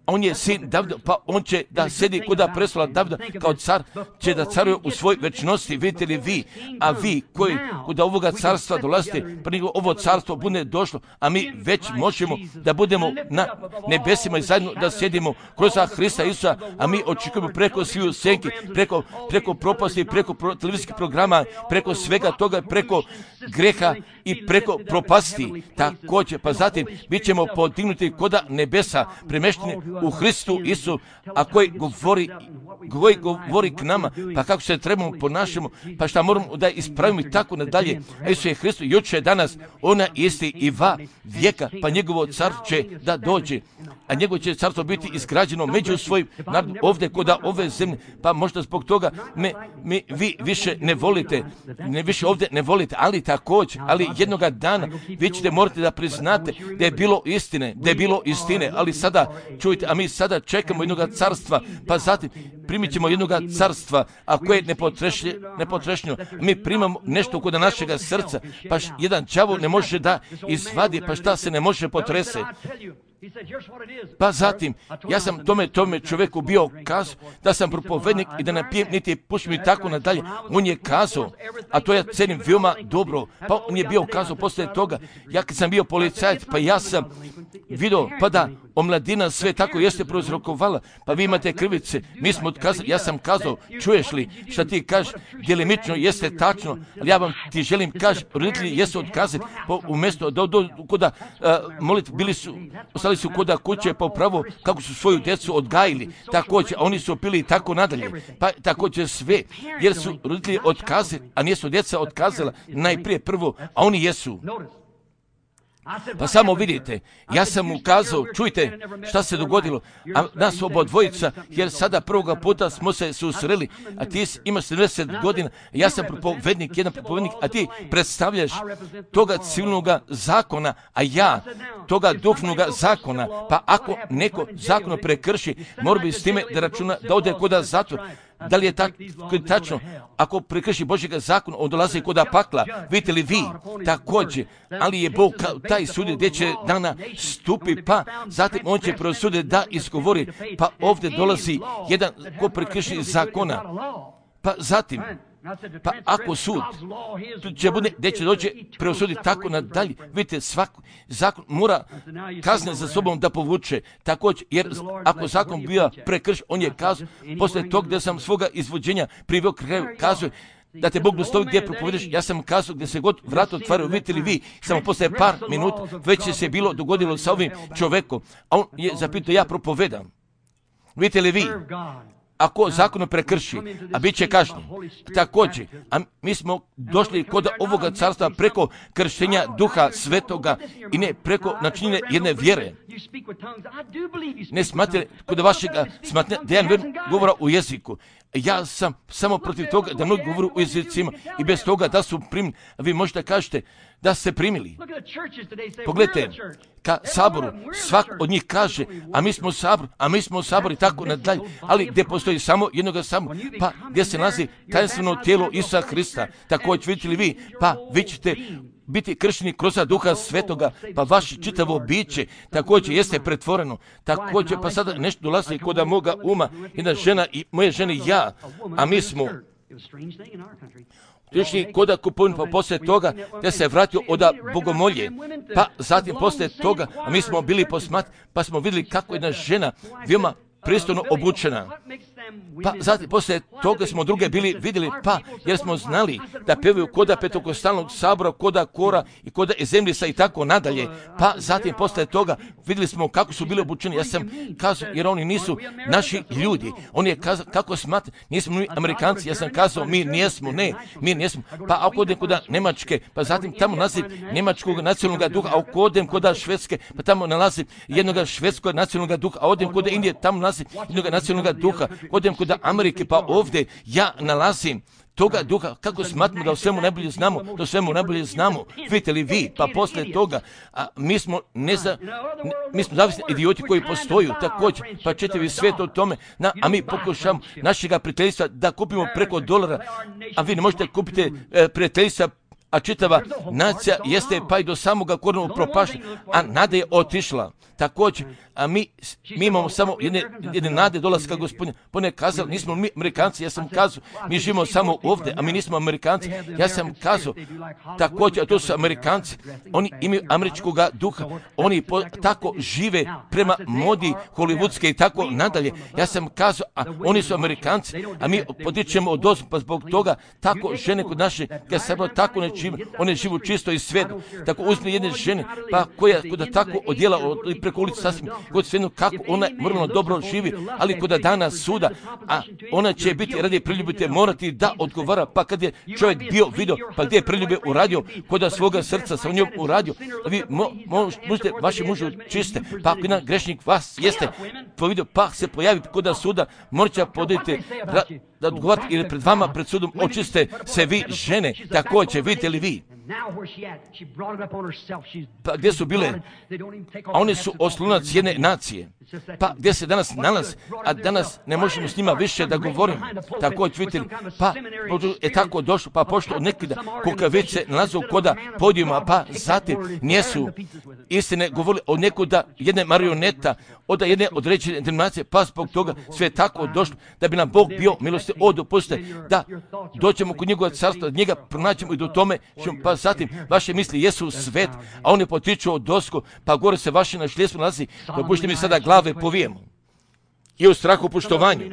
on je sin Davida, pa on će da sedi kod prestola Davida kao car, će da caruje u svoj večnosti, vidite li vi, a vi koji kod ovoga carstva dolazite, pa nego ovo carstvo bude došlo, a mi već možemo da budemo na nebesima i zajedno da sjedimo kroz Hrista Isusa, a mi očekujemo preko sviju senki, preko, preko propasti, preko pro, televizijskih programa, preko svega toga, preko greha i preko propasti. Također, pa zatim bit ćemo podignuti koda nebesa, premešteni u Hristu Isu, a koji govori, koji govori k nama, pa kako se trebamo ponašamo, pa šta moramo da ispravimo i tako nadalje. A Isus je Hristu juče danas, ona isti i va vijeka, pa njegovo carstvo će da dođe, a njegovo će carstvo biti izgrađeno među svojim narodom ovdje kod ove zemlje, pa možda zbog toga me, me vi više ne volite, ne više ovdje ne volite, ali također, ali jednoga dana vi ćete morati da priznate da je bilo istine, da je bilo istine, ali sada čujte, a mi sada čekamo jednoga carstva, pa zatim primit ćemo jednoga carstva, a koje je nepotrešnjeno. Mi primamo nešto kod našega srca, pa jedan đavo ne može da izvadi, pa šta se ne može potrese. Pa zatim, ja sam tome, tome čovjeku bio kazao da sam propovednik i da ne pijem niti pušim i tako nadalje. On je kazao, a to ja cenim veoma dobro, pa on je bio kazao poslije toga, ja kad sam bio policajac, pa ja sam vidio, pa da omladina sve tako jeste prouzrokovala, pa vi imate krivice, mi smo odkazali, ja sam kazao, čuješ li šta ti kažeš, djelimično jeste tačno, ali ja vam ti želim kaži, roditelji jesu otkazali, pa umjesto da do koda molit, bili su, ostali su koda kuće, pa upravo kako su svoju djecu odgajili, također, a oni su pili tako nadalje, pa također sve, jer su roditelji otkazali, a nijesu djeca otkazala najprije prvo, a oni jesu. Pa samo vidite, ja sam ukazao, čujte šta se dogodilo, a nas oba dvojica, jer sada prvoga puta smo se susreli, a ti imaš sedamdeset godina, ja sam propovednik, jedan propovednik, a ti predstavljaš toga civilnog zakona, a ja toga duhovnog zakona, pa ako neko zakon prekrši, mora bi s time da računa da ode koda zatvor. Da li je tako tačno? Ako prekrši Božjega zakona, on dolazi koda pakla. Vidite li vi? Također. Ali je Bog taj sud gdje će dana stupi, pa zatim on će prosuditi da isgovori. Pa ovdje dolazi jedan ko prekrši zakona. Pa zatim, pa ako sud će bude, gdje će doći preosuditi tako nadalje, vidite, svaki zakon mora kazne za sobom da povuče, također, jer ako zakon bio prekršen, on je kazao, poslije tog gdje sam svoga izvođenja priveo kraju, kazuje, da te Bog dostavi gdje propovedeš, ja sam kazao gdje se god vrat otvaraju, vidite li vi, samo poslije par minuta, već je se bilo dogodilo sa ovim čovjekom, a on je zapitao, ja propovedam. Vidite li vi? Ako zakon prekrši, a bit će kažnjen. Također, a mi smo došli kod ovoga carstva preko krštenja Duha Svetoga i ne preko načinjenja jedne vjere. Ne smatrate kod vašega smatrate da jedan govora u jeziku. Ja sam samo protiv toga da mnogi govoru u jezicima i bez toga da su primili. Vi možete kažete da ste primili. Pogledajte, ka saboru, svak od njih kaže, a mi smo sabor, a mi smo sabor i tako nadalje, ali gdje postoji samo jednoga samo, pa gdje se nalazi tajanstveno tijelo Isusa Hrista, također vidite li vi, pa vi ćete biti kršteni kroz Duha Svetoga, pa vaše čitavo biće također jeste pretvoreno. Također, pa sada nešto dolazi kod moga uma, jedna žena i moje žene i ja, a mi smo Tišni koda kupovin, pa poslije toga da se vratio od bogomolje, pa zatim poslije toga, a mi smo bili posmat, pa smo vidjeli kako jedna žena veoma pristojno obučena. Pa zatim poslije toga smo druge bili vidjeli, pa jer smo znali da pevaju koda petokostalnog sabora, koda kora i koda ezemljisa i tako nadalje. Pa zatim poslije toga vidjeli smo kako su bili obučeni. Ja sam kazao, jer oni nisu naši ljudi. On je kazao, kako smatra, nismo mi Amerikanci. Ja sam kazao, mi nijesmo, ne, mi nijesmo. Pa ako odem koda Njemačke, pa zatim tamo nalazim Njemačkog nacionalnog duha, a ako odem koda Švedske, pa tamo nalazim jednog švedskog nacionalnog duha, a odem koda Indije, tamo nalazim jednog nacionalnog duha, odem kod Amerike, pa ovdje ja nalazim toga duha, kako smatramo da o svemu najbolje znamo, da o svemu najbolje znamo, vidite li vi, pa poslije toga, a mi smo neza, ne, mi smo zavisni idioti koji postoju, također, pa ćete vi svijet o tome, na, a mi pokušamo našega prijateljstva da kupimo preko dolara, a vi ne možete kupiti e, prijateljstva, a čitava nacija jeste pa i do samoga korenog propašta, a nada je otišla. Također, a mi, mi imamo samo jedne, jedne nade dolaska Gospodina. Pone kazali, nismo mi Amerikanci, ja sam kazao, mi živimo samo ovdje, a mi nismo Amerikanci. Ja sam kazao, također, a to su Amerikanci, oni imaju američkog duha, oni po, tako žive prema modi hollywoodske i tako nadalje. Ja sam kazao, a oni su Amerikanci, a mi podičemo od ozgo, pa zbog toga tako žene kod naše, kad se tako ne žive, one živu čisto i svedu. Tako uzme jedne žene, pa koja kod tako odjela od, preko ulice sasvim, kod svedu kako ona moralno dobro živi, ali kod dana suda, a ona će biti radi priljubite morati da odgovara, pa kad je čovjek bio vidio, pa gdje je priljube uradio, kod svoga srca sa njom uradio, vi mo, mo, možete vaše muže čiste, pa ako jedan grešnik vas jeste povidio, pa se pojavi kod suda, morat podajte da odgovarate ili pred vama, pred sudom, očiste se vi žene, također, vidite li vi? Pa gdje su bile? A one su oslonac jedne nacije. Pa gdje se danas nalazi? A danas ne možemo s njima više da govorimo. Također, vidite li? Pa je tako došlo, pa pošto od nekida kukavice nalazu koda podijuma, pa zatim nijesu istine govorili o nekuda jedne marioneta, od jedne određene denominacije, pa zbog toga sve tako došlo, da bi nam Bog bio milosti od dopustite, da dođemo kod njegova carstva, da njega pronaćemo i do tome, pa zatim vaše misli jesu svet, a on je potiču od dosku, pa gore se vaše na šljesku nalazi, dopušte mi sada glave povijemo. I u strahu poštovanju.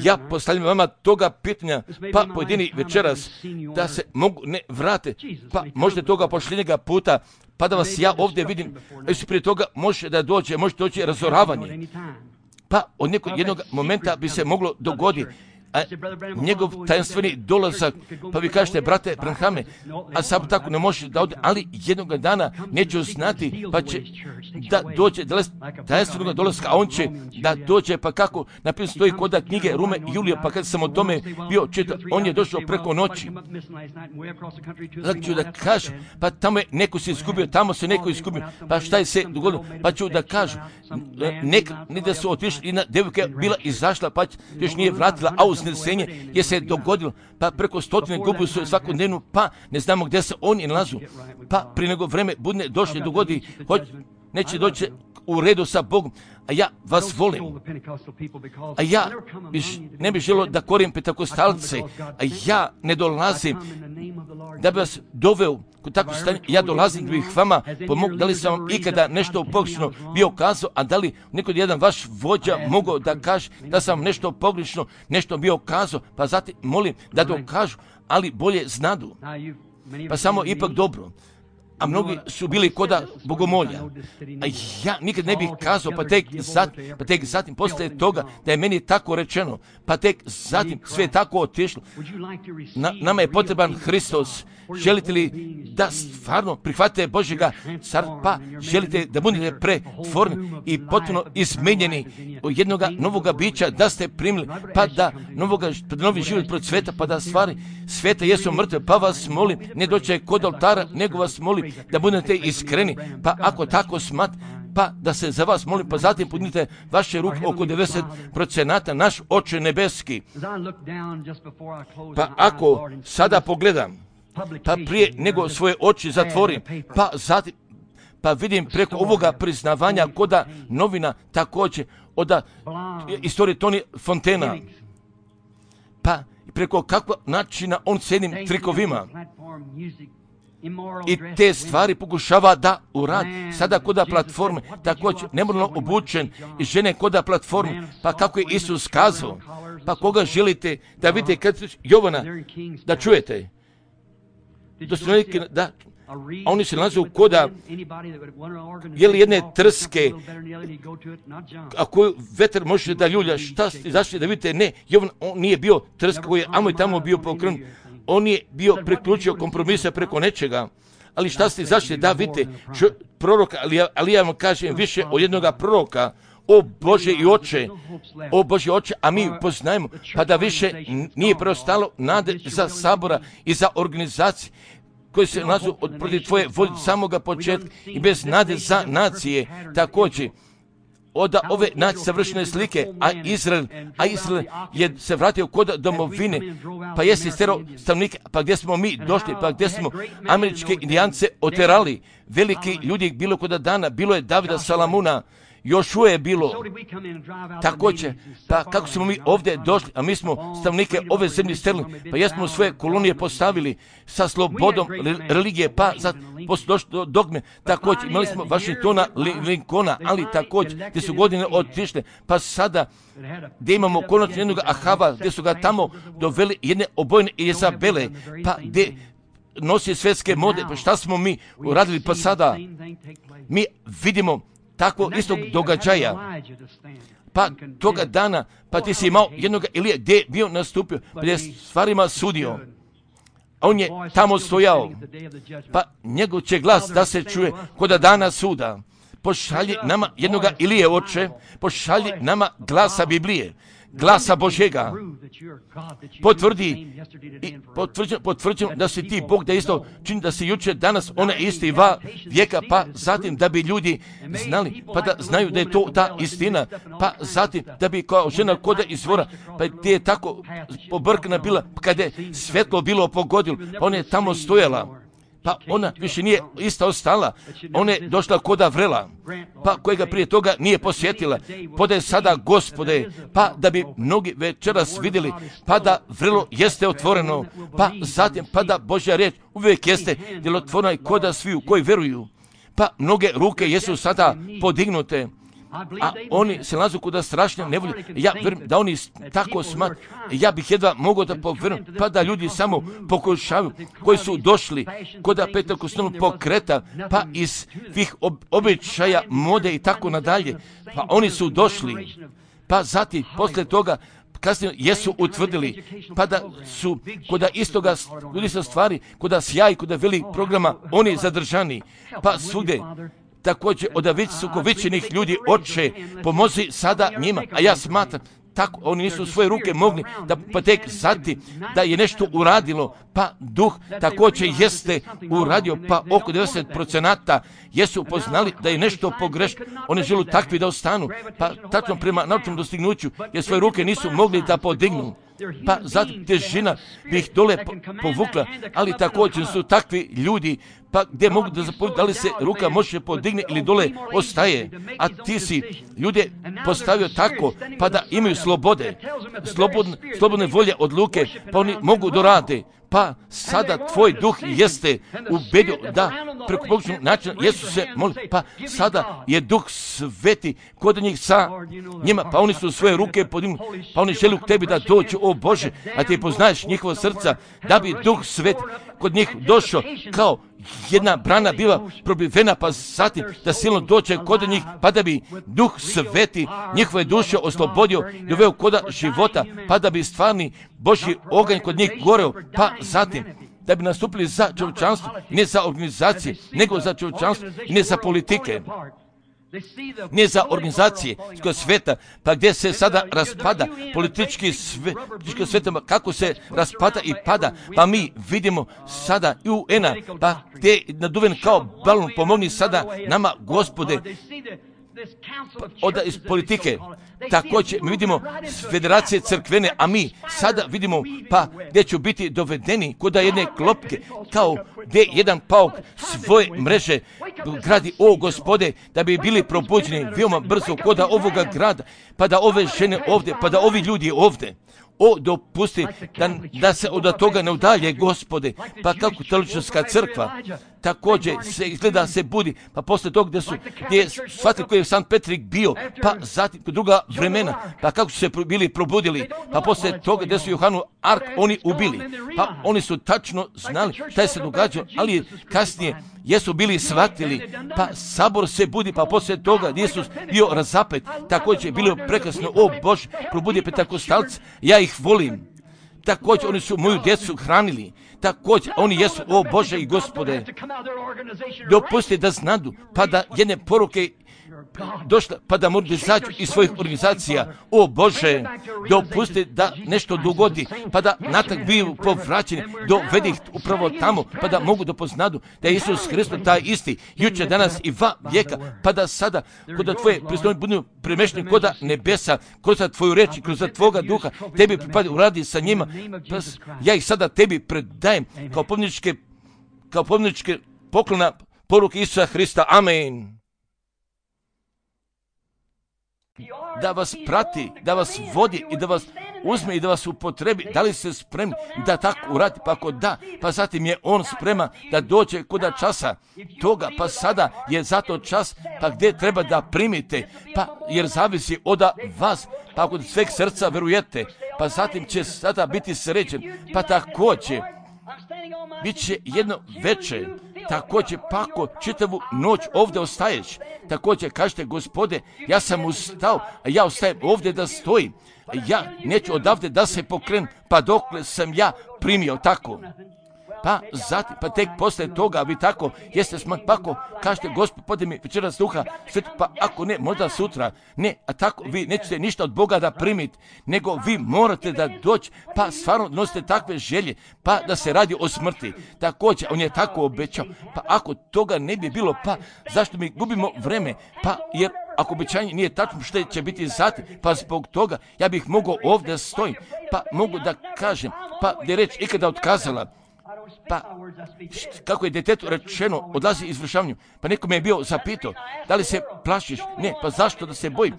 Ja postavljam vama toga pitanja, pa pojedini večeras, da se mogu ne vrate, pa možda toga pošljenjega puta, pa da vas ja ovdje vidim, jer prije toga može da dođe, može doći razoravanje. Pa od nekog jednog momenta bi se moglo dogoditi, a njegov tajanstveni dolazak, pa vi kažete, brate Branhame, a sam tako ne može da ode, ali jednog dana neću znati, pa će da dođe tajanstvenog dolaska, a on će da dođe, pa kako napisano stoji kod knjige Rume i Julija, pa kad sam o tome bio čitao, on je došao preko noći. Znači ću da kažem, pa tamo je neko se izgubio, tamo se neko izgubio, pa šta je se dogodilo, pa ću da kažem, neka, ne da su otišli, jedna devojka bila izašla, pa još nije vratila, a uznesenje je se dogodilo, pa preko stotine gubu su svakodnevno, pa ne znamo gdje se oni nalazu, pa prije nego vreme budne došli dogodi, hoć, neće doći u redu sa Bogom, a ja vas volim, a ja biš, ne bih želio da korim pentakostalce, a ja ne dolazim da bi vas doveo kod takvog stanja, ja dolazim da bih vama pomogao, da li sam vam ikada nešto pogrešno bio kazao, a da li nekod jedan vaš vođa mogao da kaže da sam nešto pogrešno nešto bio kazao, pa zatim molim da dokažu, ali bolje znadu, pa samo ipak dobro. A mnogi su bili koda bogomolja. A ja nikad ne bih kazao, pa tek zatim, pa tek zatim poslije toga da je meni tako rečeno, pa tek zatim sve tako otišlo. Na, nama je potreban Hristos. Želite li da stvarno prihvatite Božjega car, pa želite da budete pretvorni i potpuno izmenjeni od jednoga novoga bića, da ste primili, pa da novoga, pa da novi život procveta, pa da stvari sveta jesu mrtve, pa vas molim, ne doće kod oltara, nego vas molim da budete iskreni, pa ako tako smat, pa da se za vas molim, pa zatim podignite vaše ruke oko devedeset procenata, naš Oče nebeski. Pa ako sada pogledam, pa prije nego svoje oči zatvorim, pa zatim, pa vidim preko ovoga priznavanja koda novina također od istorije Tony Fontena, pa preko kakva načina on s jednim trikovima i te stvari pokušava da uradi. Sada koda platforme, također nemoralno obučen i žene koda platforme, pa kako je Isus kazao, pa koga želite da vidite kad Jovana, da čujete, da, a oni se nalaze u koda jeli jedne trske, a koju vetar može da ljulja, šta ste zašli da vidite, ne, Jovan, on nije bio trska koji je amo i tamo bio pokrn, on je bio preključio kompromisa preko nečega, ali šta ste zašli da vidite, čo, proroka, ali ja, ali ja vam kažem više od jednoga proroka, o Bože i Oče, o Bože Oče, a mi poznajemo, pa da više nije preostalo nade za sabora i za organizacije koji se nalazu od protiv tvoje volje samoga početka i bez nade za nacije također. Od ove nacije savršene slike, a Izrael, a Izrael je se vratio kod domovine, pa jeste istero stanovnike, pa gdje smo mi došli, pa gdje smo američke indijance oterali, veliki ljudi bilo kod dana, bilo je Davida Salamuna, još je bilo također, pa kako smo mi ovdje došli, a mi smo stavnike ove zemlje sterili, pa jesmo svoje kolonije postavili sa slobodom religije, pa sad poslije došli do dogme, također imali smo Washingtona, Lincolna, ali također gdje su godine otišle, pa sada gdje imamo konačno jednog Ahava, gdje su ga tamo doveli jedne obojne Jezabele, pa gdje nosi svjetske mode, pa šta smo mi uradili, pa sada mi vidimo tako istog događaja, pa toga dana, pa ti si imao jednog Elija gdje je bio nastupio, gdje je stvarima sudio, a on je tamo stojao, pa njegov će glas da se čuje kod dana suda. Pošalji nama jednoga Ilije, Oče, pošalji nama glasa Biblije, glasa Božjega, potvrdi i potvrđeno, potvrđeno da si ti Bog, da isto čini da si jučer, danas, ona isti va vijeka, pa zatim da bi ljudi znali, pa da znaju da je to ta istina, pa zatim da bi kao žena koda izvora, pa ti je tako pobrkana bila, kada je svetlo bilo pogodilo, pa ona je tamo stojala, pa ona više nije ista ostala, ona je došla koda vrela, pa kojega prije toga nije posjetila, podaje sada Gospode, pa da bi mnogi večeras vidjeli, pa da vrelo jeste otvoreno, pa zatim pa da Božja riječ uvijek jeste djelotvorna i koda svi koji veruju, pa mnoge ruke jesu sada podignute, a oni se nalazu kuda strašne nevolje. Ja vjerujem da oni tako smatruju. Ja bih jedva mogao da povjerujem, pa da ljudi samo pokušavaju, koji su došli kuda pentekostalnog pokreta, pa iz svih ob- običaja, mode i tako nadalje, pa oni su došli, pa zatim poslije toga kasnije jesu utvrdili, pa da su kuda istoga ljudi sa stvari, kuda sjaj, kuda velikih programa, oni zadržani, pa svugdje. Također od visokovičenih ljudi, Oče, pomozi sada njima, a ja smatram, tako oni nisu svoje ruke mogli da pa tek zati da je nešto uradilo, pa duh također jeste uradio, pa oko devedeset procenata jesu poznali da je nešto pogrešno. Oni žele takvi da ostanu, pa tačno prema naučnom dostignuću, jer svoje ruke nisu mogli da podignu. Pa zatim težina bi ih dole povukla, ali također su takvi ljudi, pa gdje mogu da zapovjeti da li se ruka može podigne ili dole ostaje, a ti si ljude postavio tako, pa da imaju slobode, slobodne, slobodne volje odluke, pa oni mogu dorade. Pa sada tvoj duh jeste ubedio da preko pogrešnog načina Jesu se moli, pa sada je duh sveti kod njih sa njima, pa oni su svoje ruke podigli, pa oni žele k tebi da dođu, o Bože, a ti poznaješ njihova srca, da bi duh sveti kod njih došao kao jedna brana bila probivena, pa zatim da silno dođe kod njih, pa da bi duh sveti njihove duše oslobodio i doveo koda života, pa da bi stvarni Božji oganj kod njih goreo, pa zatim da bi nastupili za čovječanstvo, ne za organizacije, nego za čovječanstvo i ne za politike. Ne za organizacije sveta, pa gdje se sada raspada politički sve, sveta, kako se raspada i pada, pa mi vidimo sada i U N-a, pa gdje je naduven kao balon, pomogni sada nama, Gospode, od iz politike. Također mi vidimo federacije crkvene, a mi sada vidimo pa gdje će biti dovedeni kod jedne klopke, kao gdje jedan pauk svoje mreže gradi, o Gospode, da bi bili probuđeni veoma brzo kod ovoga grada, pa da ove žene ovdje, pa da ovi ljudi ovdje, o, dopusti da, da se od toga ne udalje, Gospode, pa kako katolička crkva također se izgleda se budi, pa poslije toga gdje su gdje je shvatili koji je Sankt Petrik bio, pa zatim druga vremena, pa kako su se bili probudili, pa poslije toga gdje su Johanu Ark oni ubili, pa oni su tačno znali šta je se događalo, ali kasnije jesu bili shvatili, pa sabor se budi, pa poslije toga gdje su bio razapet, također je bilo prekrasno, o Bože, probudi pentekostalce, ja ih volim. Također oni su moju djecu hranili, također oni jesu, o Bože i Gospode, dopusti da znadu, pa da jedne poruke došla, pa da mogu izaći iz svojih organizacija, o Bože, dopusti da nešto dogodi, pa da natak biju povraćeni, dovedi ih upravo tamo, pa da mogu da poznadu da je Isus Hristos taj isti, jučer, danas i va vijeka, pa da sada, kod da tvoje pristupne budu premešteni kod nebesa, kroz tvoju reč i kroz tvoga duha, tebi pripadi, uradi sa njima, pa ja ih sada tebi predajem kao pomničke, kao pomničke poklona poruke Isusa Hrista. Amen. Da vas prati, da vas vodi i da vas uzme i da vas upotrebi. Da li ste spremni da tako uradi? Pa ako da, pa zatim je on spreman da dođe kuda časa toga, pa sada je zato čas, pa gdje treba da primite, pa jer zavisi od vas, pa ako sveg srca verujete, pa zatim će sada biti srećen, pa također bit će jedno veče, također pa ako čitavu noć ovdje ostaješ, također kažete, Gospode, ja sam ustao, a ja ostajem ovdje da stojim, ja neću odavde da se pokrenem, pa dokle sam ja primio tako. Pa zatim, pa tek poslije toga vi tako jeste smak, pa ako kažete, Gospod, podaj mi večeras duha svetu, pa ako ne, možda sutra, ne, a tako vi nećete ništa od Boga da primiti, nego vi morate da doći, pa stvarno nosite takve želje, pa da se radi o smrti. Također, on je tako obećao, pa ako toga ne bi bilo, pa zašto mi gubimo vreme, pa jer ako obećanje nije tačno što će biti zatim, pa zbog toga ja bih mogao ovdje stojim, pa mogu da kažem, pa da je reč ikada otkazala, Pa, kako je djetetu rečeno, odlazi izvršavanju. Pa neko me je bio zapitao, da li se plašiš? Ne, pa zašto da se bojim?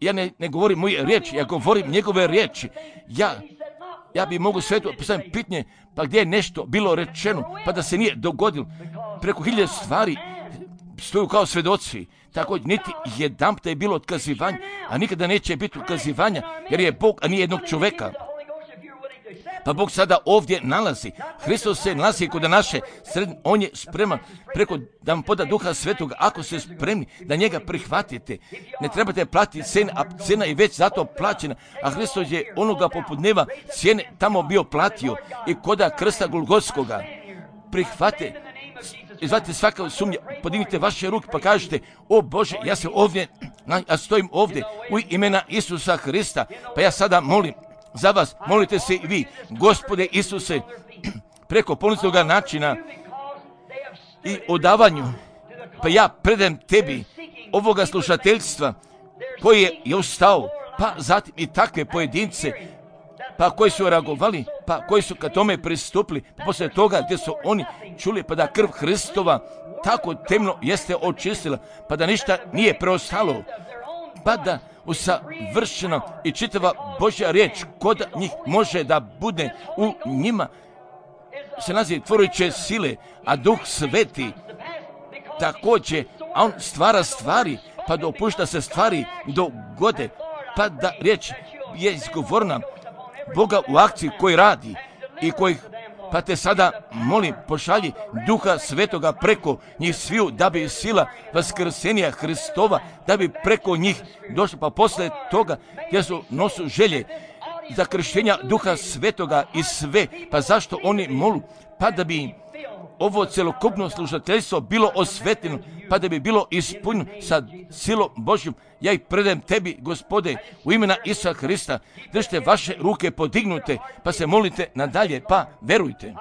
Ja ne, ne govorim moje riječi, ja govorim njegove riječi. Ja, ja bi mogu svetu postaviti pitanje, pa gdje je nešto bilo rečeno, pa da se nije dogodilo. Preko hiljade stvari stoju kao svedoci. Tako niti jedan je bilo otkazivanja, a nikada neće biti otkazivanja, jer je Bog, a nije jednog čoveka. Pa Bog sada ovdje nalazi. Hristos se nalazi kod naše sredine. On je spreman preko da vam poda Duha Svetoga. Ako ste spremni da njega prihvatite, ne trebate platiti cenu, a cena je već zato plaćena. A Hristos je onoga poput neba cijene tamo bio platio i koda krsta Golgotskoga. Prihvate. Izvadite svaka sumnja, podignite vaše ruke pa kažete, o Bože, ja se ovdje, ja stojim ovdje u imena Isusa Hrista, pa ja sada molim za vas, molite se i vi, Gospode Isuse, preko poniznoga načina i odavanju, pa ja predajem tebi ovoga slušateljstva koji je još stao, pa zatim i takve pojedince, pa koji su reagovali, pa koji su ka tome pristupili, pa poslije toga gdje su oni čuli pa da krv Hristova tako temno jeste očistila, pa da ništa nije preostalo, pa da usavršeno i čitava Božja riječ kod njih može da bude u njima se naziva tvorujuće sile, a Duh Sveti također, a on stvara stvari, pa dopušta se stvari dogode, pa da riječ je izgovorna Boga u akciji koji radi i koji, pa te sada molim, pošalji Duha Svetoga preko njih sviju, da bi sila vaskrsenja Hristova, da bi preko njih došla, pa posle toga gdje su nosu želje za krštenja Duha Svetoga i sve, pa zašto oni molu, pa da bi ovo celokupno slušateljstvo bilo osvetljeno, pa da bi bilo ispunjeno sa silom Božjom. Ja ih predajem tebi, Gospode, u imena Isusa Hrista. Držite vaše ruke podignute, pa se molite nadalje, pa verujte.